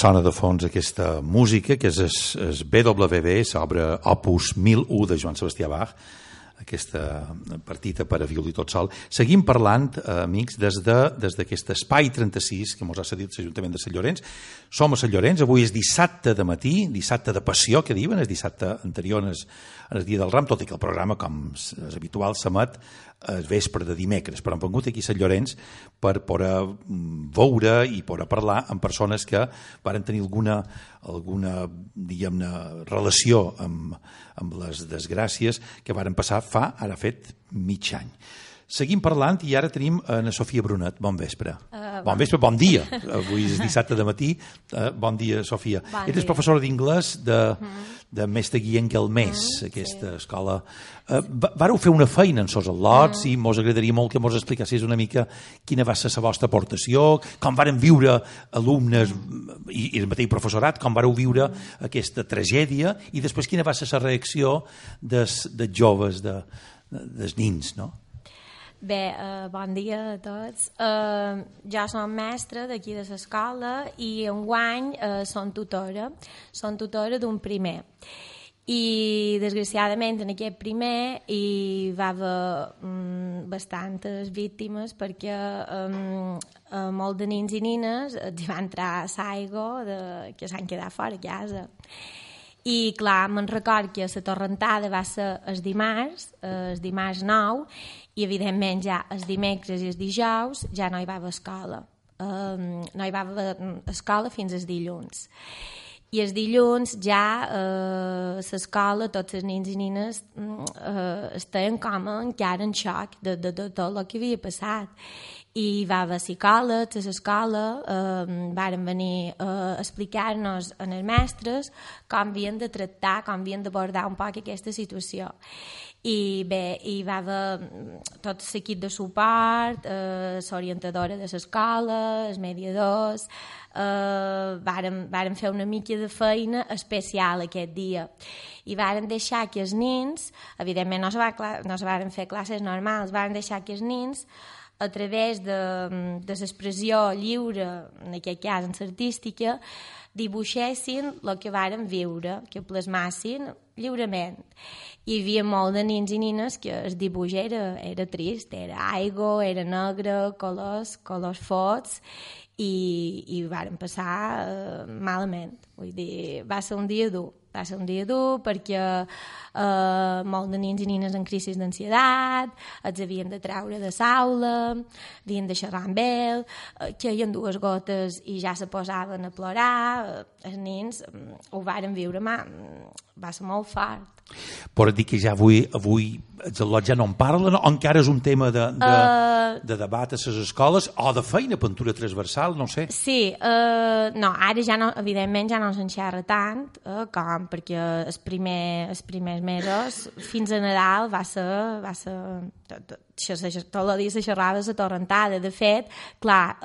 Sona de fons aquesta música, que és el BWV, l'obra Opus 1001 de Joan Sebastià Bach, aquesta partita per a violí tot sol. Seguim parlant, amics, des d'aquest espai 36 que ens ha cedit l'Ajuntament de Sant Llorenç. Som a Sant Llorenç, avui és dissabte de matí, dissabte de passió, que diuen, és dissabte anterior al dia del Ram, tot i que el programa, com és habitual, s'emet el vespre de dimecres, però hem vingut aquí a Sant Llorenç per poder veure i poder parlar amb persones que varen tenir alguna diguem-ne, relació amb les desgràcies que varen passar ara fet mig any. Seguim parlant i ara tenim a Sofia Brunet. Bon vespre. Bon vespre, bon dia. Avui és dissabte de matí. Bon dia, Sofia. Eres professora d'inglès de Mestre Guillem Galmés, aquesta escola. Vareu fer una feina en sos al·lots i mos agradaria molt que mos explicassis una mica quina va ser la vostra aportació, com varen viure alumnes i el mateix professorat, com vareu viure aquesta tragèdia i després quina va ser la reacció dels joves, dels nins, no? Bé, bon dia a tots. Jo som mestra d'aquí de l'escola i enguany som tutora d'un primer. I desgraciadament en aquest primer hi va haver bastantes víctimes perquè molts de nins i nines hi va entrar l'aigua que s'han quedat fora a casa. I clar, me'n record que la torrentada va ser el dimarts 9, i evidentment ja els dimecres i els dijous ja no hi va haver escola. No hi va haver escola fins als dilluns. I els dilluns ja l'escola, tots els nins i nines estaven com encara en xoc de tot el que havia passat. I va haver psicòlegs a l'escola, varen venir a explicar-nos a les mestres com havien de tractar, com havien d'abordar un poc aquesta situació. I bé, hi va haver tot l'equip de suport, l'orientadora de l'escola, els mediadors, varen fer una mica de feina especial aquest dia. I varen deixar que els nins, evidentment no se varen fer classes normals, varen deixar que els nins, a través de l'expressió lliure, en aquest cas en l'artística, dibuixessin el que varen viure, que plasmassin lliurement. Hi havia molt de nins i nines que el dibuix era trist, era aigua, era negre, colors fots, i varen passar malament. Vull dir, va ser un dia dur. Va ser un dia dur perquè molts de nins i nines en crisi d'ansietat, els havien de treure de l'aula, havien de xerrar amb ell, queien 2 gotes i ja se posaven a plorar. Els nins ho varen viure, va ser molt fort. Però dir que ja avui els al·lots ja no en parlen, o encara és un tema de debat a les escoles o de feina, pintura transversal, no sé. Sí, no, ara ja no, evidentment ja no se'n xerra tant com perquè els primers mesos fins a Nadal va ser tot el dia se xerrava la torrentada. De fet, clar,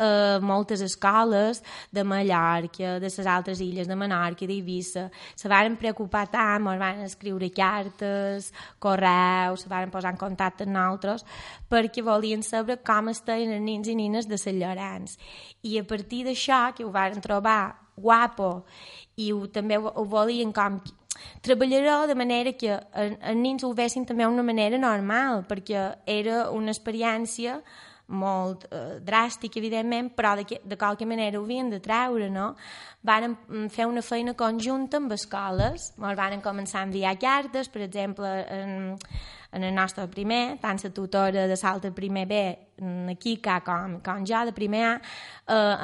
moltes escoles de Mallorca, de les altres illes, de Menorca, d'Eivissa, se varen preocupar tant, ens van escriure cartes, correus, se varen posar en contacte amb nosaltres, perquè volien saber com estaven els nins i nines de Sant Llorenç. I a partir d'això, que ho varen trobar guapo, i també ho volien com treballarà de manera que els nins ho vessin també d'una manera normal, perquè era una experiència molt dràstica, evidentment, però de qualque manera ho havien de treure, no? Varen fer una feina conjunta amb escoles, ens van començar a enviar cartes, per exemple, en el nostre primer, tant la tutora de l'altre primer B, aquí com jo, de primer A,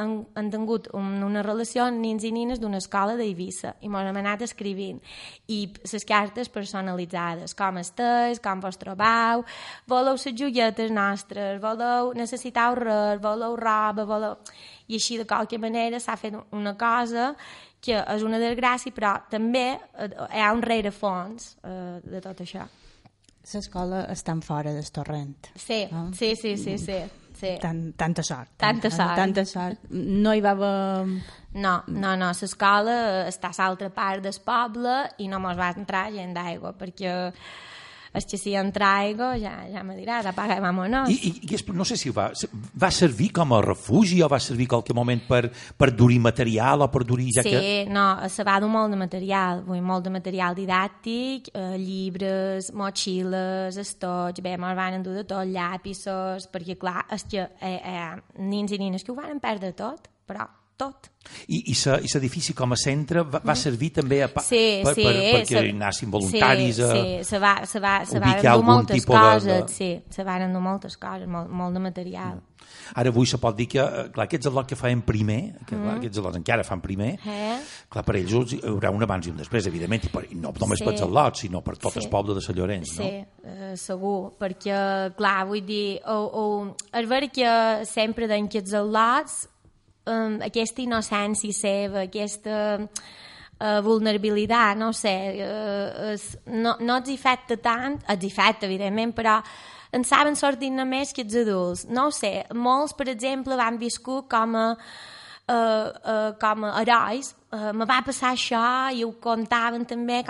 han tingut una relació amb nins i nines d'una escola d'Eivissa i m'ho hem anat escrivint. I les cartes personalitzades, com estàs, com vos trobeu, voleu les joietes nostres, necessiteu res, voleu roba, I així, de qualque manera, s'ha fet una cosa que és una desgràcia, però també hi ha un rerefons de tot això. L'escola està fora del torrent. Sí, no? Sí. Tanta sort. Tanta sort. No hi va haver... No, l'escola està a l'altra part del poble i no mos va entrar gent d'aigua, perquè és que si entra aigua ja me diràs, apaga i vámonos. I no sé si va servir com a refugi o va servir en qualque moment per dur material o per dur... Se va dur molt de material, molt de material didàctic, llibres, motxilles, estoig, ens van endur de tot, llapisos, perquè clar, és que nins i nines que ho van perdre tot, però tot. I l'edifici com a centre va servir també perquè hi anassin voluntaris a ubicar algun tipus de... Sí, se van endur moltes coses, molt de material. Ara avui se pot dir que, clar, aquests al·lots que fan primer, aquests al·lots encara fan primer, clar, per ells hi haurà un abans i un després, evidentment, i no només per els al·lots, sinó per tot el poble de Sant Llorenç, no? Sí, segur, perquè, clar, vull dir, és vera que sempre deien que els al·lots aquesta innocència seva, aquesta vulnerabilitat, no sé, no els afecta tant, els afecta, evidentment, però en saben sortir només que els adults. No ho sé, molts, per exemple, van viscut com a herois me va passar això, i ho contaven també,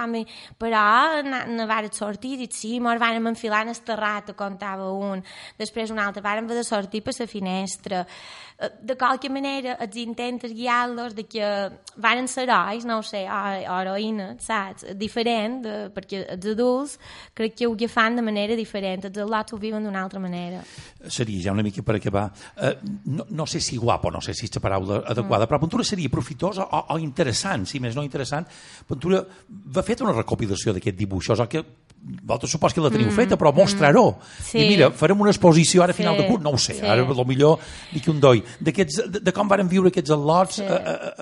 però ne varen sortir, i sí, mos vàrem enfilar en el terrat, contava un, després un altre, vàrem haver de sortir per la finestra. De qualque manera, els intentes guiar-los de que varen ser herois, no ho sé, o heroïnes, saps? Diferent, perquè els adults crec que ho fan de manera diferent, els al·lots ho viuen d'una altra manera. Seria ja una mica per acabar, no sé si guapo, no sé si és la paraula adequada, però Ventura seria profitós o interessant, si més no interessant. Ventura va fet una recopilació d'aquests dibuixos, o que vosaltres supos que la teniu feta, però mostrar-ho. Sí. I mira, farem una exposició ara a final de curs, no ho sé, ara potser dic un doi, de com varen viure aquests al·lots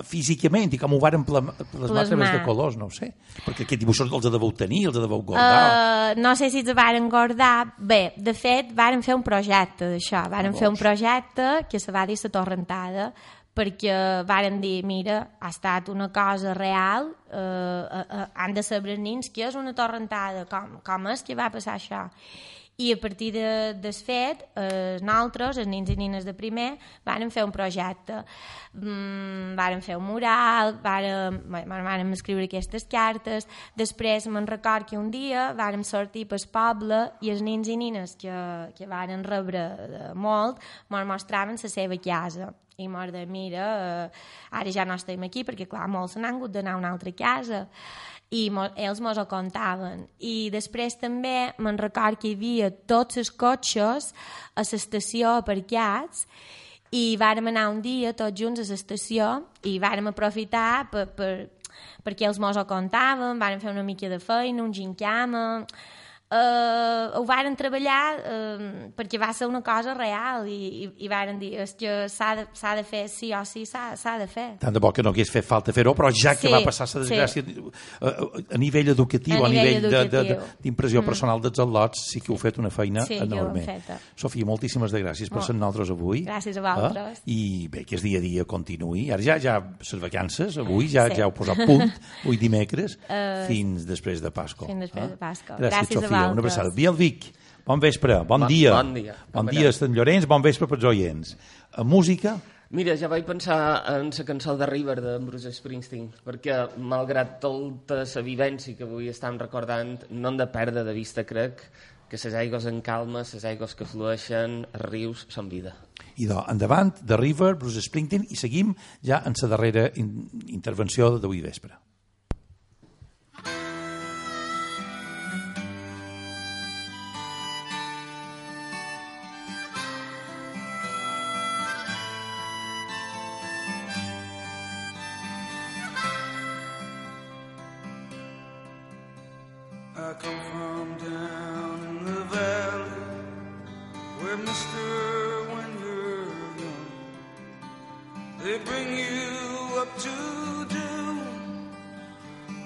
físicament i com ho varen plasmar a través de colors, no ho sé. Perquè aquests dibuixos els deveu tenir, els deveu guardar. No sé si els varen guardar. Bé, de fet, varen fer un projecte d'això. Varen fer un projecte que se va dir La Torrentada, perquè varen dir, mira, ha estat una cosa real, han de saber els nens què és una torrentada, com és que va passar això. I a partir del fet, nosaltres, els nens i nines de primer, vàrem fer un projecte. Vàrem fer un mural, vàrem escriure aquestes cartes. Després me'n record que un dia vàrem sortir pel poble i els nens i nines que varen rebre molt mos mostraven la seva casa. I mos de mira, ara ja no estem aquí perquè clar, molts se n'han hagut d'anar a una altra casa. I ells mos ho contaven. I després també me'n record que hi havia tots els cotxes a l'estació aparcats i vàrem anar un dia tots junts a l'estació i vàrem aprofitar perquè els mos ho contaven, vàrem fer una mica de feina, un gincama. Ho varen treballar perquè va ser una cosa real i varen dir que s'ha de fer, sí o sí s'ha de fer. Tant de bo que no hagués fet falta fer-ho, però ja que va passar la desgràcia a nivell educatiu, a nivell d'impressió personal dels al·lots, sí que heu fet una feina enorme. Sofia, moltíssimes gràcies per ser nosaltres avui. Gràcies a vosaltres. I bé, que el dia a dia continuï. Ara ja les vacances, avui ja heu posat punt, avui dimecres, fins després de Pasqua. Fins després de Pasqua. Gràcies, Sofia. Una abraçada. Biel Vic, bon vespre, bon dia. Bon dia. Bon dia, Sant Llorenç, bon vespre pels oients. Música? Mira, ja vaig pensar en la cançó de River de Bruce Springsteen, perquè malgrat tota la vivència que avui estem recordant, no hem de perdre de vista, crec, que les aigües en calma, les aigües que flueixen, els rius, són vida. I endavant, de River, Bruce Springsteen, i seguim ja en la darrera intervenció d'avui vespre. I come from down in the valley where mister, when you're young, they bring you up to do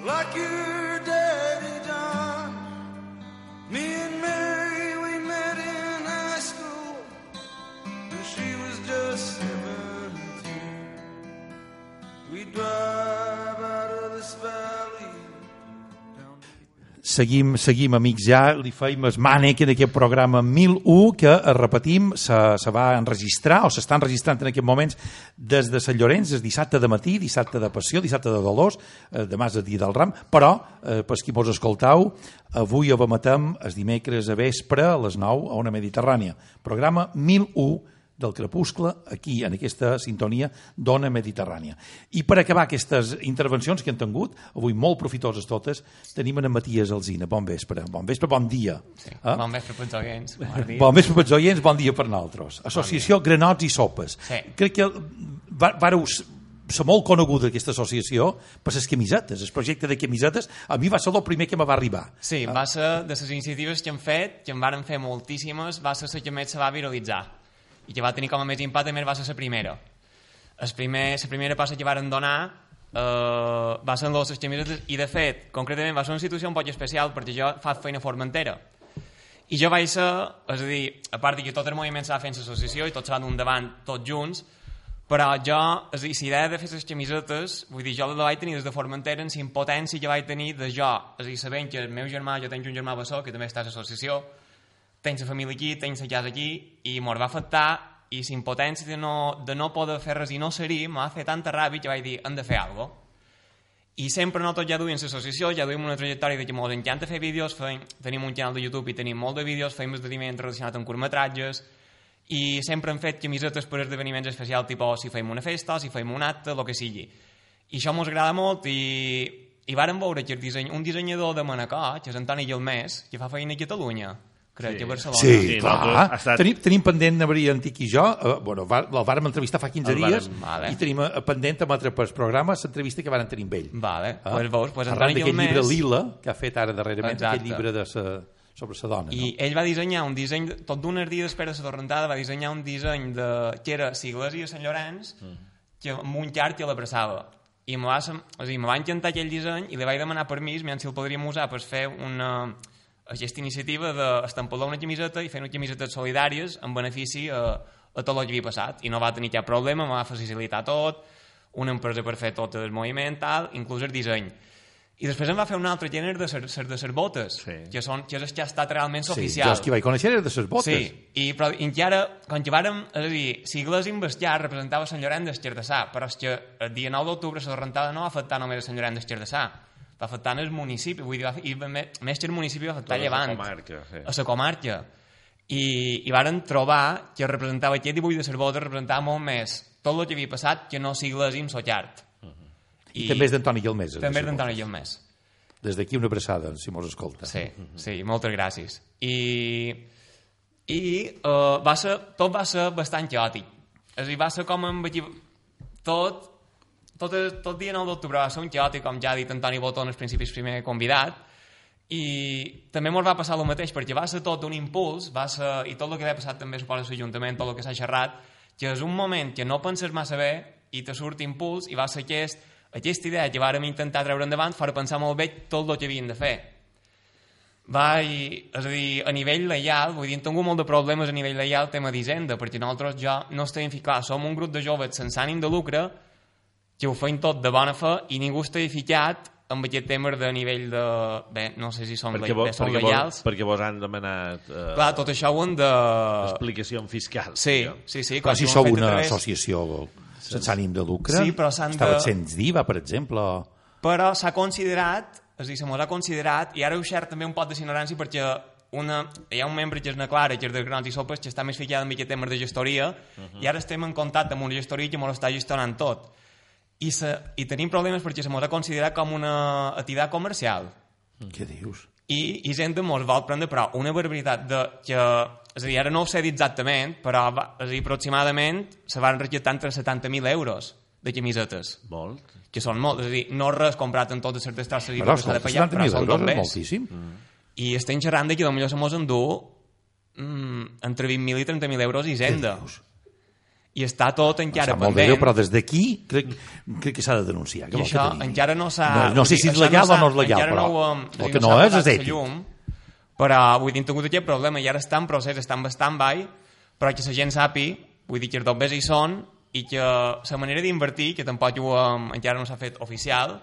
like your daddy done. Me and Mary, we met in high school and she was just 17. We drive out of this valley. Seguim, amics, ja li feim el mànec en aquest programa 1001 que, repetim, se va enregistrar o s'està enregistrant en aquests moments des de Sant Llorenç, és dissabte de matí, dissabte de Passió, dissabte de Dolors, demà és el dia del Ram, però, per qui mos escoltau, avui ho emetem el dimecres a vespre a les 9 a Ona Mediterrània. Programa 1001 del crepuscle, aquí, en aquesta sintonia d'Ona Mediterrània. I per acabar aquestes intervencions que han tingut, avui molt profitoses totes, tenim en Matías Alsina. Bon vespre, bon dia. Sí. Bon vespre pels oients. Bon vespre pels oients, bon dia per nosaltres. Associació Granots i Sopes. Sí. Crec que vareu ser molt coneguda aquesta associació per les camisetes, el projecte de camisetes a mi va ser el primer que me va arribar. Sí, va ser de les iniciatives que hem fet, que en varen fer moltíssimes, va ser la que més se va viralitzar i que va tenir com a més impacte, més va ser la primera. La primera passa que varen donar va ser en les camisetes i de fet, concretament va ser una situació un poc especial perquè jo faig feina a Formentera i jo vaig ser, és a dir, a part que tot el moviment s'ha fet en l'associació i tots s'ha d'un davant tots junts, però jo, és a dir, la idea de fer les camisetes, vull dir, jo la vaig tenir des de Formentera en la impotència que vaig tenir de jo, és a dir, sabent que el meu germà, jo tenc un germà bessó que també està a l'associació, tenc la família aquí, tenc la casa aquí, i m'ho va afectar, i la impotència de no poder fer res i no ser-hi m'ha fet tanta ràbia que vaig dir, hem de fer alguna cosa. I sempre nosaltres ja duim l'associació, ja duim una trajectòria de que ens encanta fer vídeos, tenim un canal de YouTube i tenim molt de vídeos, fem esdeveniments relacionats amb curtmetratges, i sempre hem fet camisetes per esdeveniments especials, tipus si fem una festa, si fem un acte, el que sigui. I això ens agrada molt i vàrem veure que un dissenyador de Manacor, que és Antoni Guilmés, que fa feina a Catalunya, crec que a Barcelona. Sí, clar. Tenim pendent de Maria Antic i jo, el vàrem entrevistar fa 15 dies i tenim pendent amb altre programa l'entrevista que vàrem tenir amb ell. Arran d'aquest llibre Lila, que ha fet ara darrerament, aquest llibre sobre la dona. I ell va dissenyar un disseny, tot d'unes dies després de la torrentada, va dissenyar un disseny que era l'Església de Sant Llorenç, amb un llarg que l'abraçava. I me va encantar aquell disseny i li vaig demanar permís, si el podríem usar per fer aquesta iniciativa d'estampar una camiseta i fer unes camisetes solidàries en benefici a tot el que havia passat. I no va tenir cap problema, me va facilitar tot, una empresa per fer tot el moviment, inclús el disseny. I després em va fer un altre gènere de les botes, que és el que ha estat realment oficial. Sí, jo els que vaig conèixer era de les botes. Sí, però encara, quan que vàrem, és a dir, Sigles Investiar representava Sant Llorenç d'Esquerdasà, però és que el dia 9 d'octubre la rentada no va afectar només a Sant Llorenç d'Esquerdasà, va afectar el municipi, vull dir, i més que el municipi va afectar Llevant, a la comarca. I varen trobar que representava aquest dibuix de les botes, representava molt més tot el que havia passat que no Sigles i Sotllart. I també és d'Antoni Guilmés. També és d'Antoni Guilmés. Des d'aquí una abraçada, si mos escolta. Sí, moltes gràcies. Tot va ser bastant caòtic. És a dir, va ser com tot dia 9 d'octubre va ser un caòtic, com ja ha dit Antoni Botó en els principis primer convidat, i també ens va passar el mateix, perquè va ser tot un impuls, i tot el que havia passat també suposa l'Ajuntament, tot el que s'ha xerrat, que és un moment que no penses massa bé i te surt impuls, i va ser aquesta idea que vàrem intentar treure endavant per pensar molt bé tot el que havien de fer. És a dir, a nivell leial, vull dir, hem tingut molt de problemes a nivell leial tema d'Hisenda, perquè nosaltres ja no estem ficat, som un grup de joves sense ànim de lucre, que ho feim tot de bona fe, i ningú està ficat amb aquest tema de nivell de... Bé, no sé si són leials. Perquè vos han demanat... Clar, tot això ho han de... Explicació fiscal. Sí. Clar, si sou una associació sense ànim de lucre, estava sents d'IVA, per exemple. Però s'ha considerat, és a dir, se mos ha considerat, i ara ho xerc també un pot de ignorància, perquè hi ha un membre que és na Clara, que és de Grans i Sopes, que està més ficat en aquest tema de gestoria, i ara estem en contacte amb una gestoria que mos està gestionant tot. I tenim problemes perquè se mos ha considerat com una activitat comercial. Què dius? I Hisenda mos vol prendre, però una barbaritat que... És a dir, ara no ho sé dir exactament, però aproximadament se van recaptar entre 70.000 euros de camisetes. Molt. Que són molt. És a dir, no res comprat en totes certes tasses i que s'ha de pagar, però són tot més. Moltíssim. I estem xerrant que potser se mos endú entre 20.000 i 30.000 euros Hisenda. I està tot encara pendent. Però des d'aquí crec que s'ha de denunciar. I això encara no s'ha... No sé si és legal o no és legal, però el que no és ètic. Però vull dir, hem tingut aquest problema i ara està en procés, està en stand-by, però que la gent sàpi, vull dir que els dobbers hi són i que la manera d'invertir, que tampoc encara no s'ha fet oficial,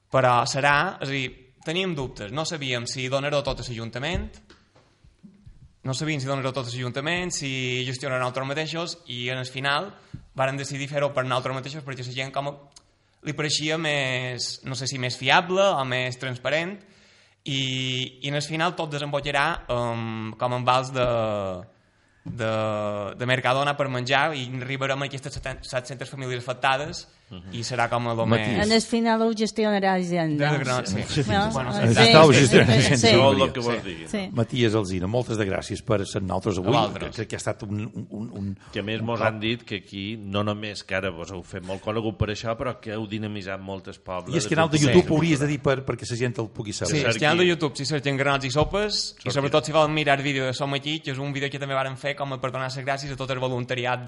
però serà, és a dir, teníem dubtes, no sabíem si donar-ho tot a l'Ajuntament, si gestionar nosaltres mateixos, i en el final vàrem decidir fer-ho per nosaltres mateixos perquè la gent com li pareixia més, no sé si més fiable o més transparent, i en el final tot desembocarà com en vals de Mercadona per menjar i arribarem a aquestes 700 famílies afectades i serà com el més... En el final ho gestionarà Hisenda. Matías Alsina, moltes de gràcies per ser nosaltres avui. Crec que ha estat un... Que a més mos han dit que aquí, no només que ara vos heu fet molt conegut per això, però que heu dinamitzat moltes pobles. I és que canal de YouTube hauries de dir perquè la gent el pugui saber. Sí, el canal de YouTube, si cerquen Granats i Sopes, i sobretot si volen mirar el vídeo de Som Aquí, que és un vídeo que també vàrem fer com per donar les gràcies a tot el voluntariat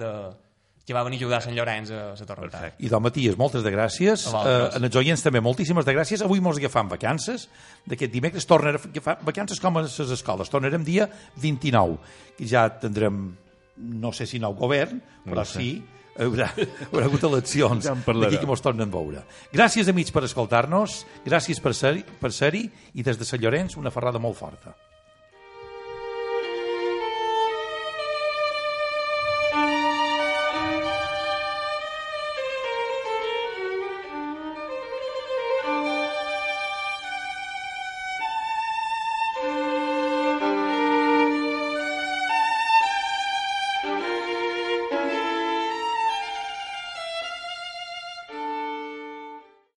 que va venir a ajudar a Sant Llorenç a la torrentada. I Matías, moltes de gràcies. En els oients també moltíssimes de gràcies. Avui mos agafam vacances. D'aquest dimecres tornarem a agafar vacances com a les escoles. Tornarem dia 29, que ja tindrem, no sé si nou govern, però sí, haurà hagut eleccions d'aquí que mos tornen a veure. Gràcies, amics, per escoltar-nos. Gràcies per ser-hi i des de Sant Llorenç una ferrada molt forta.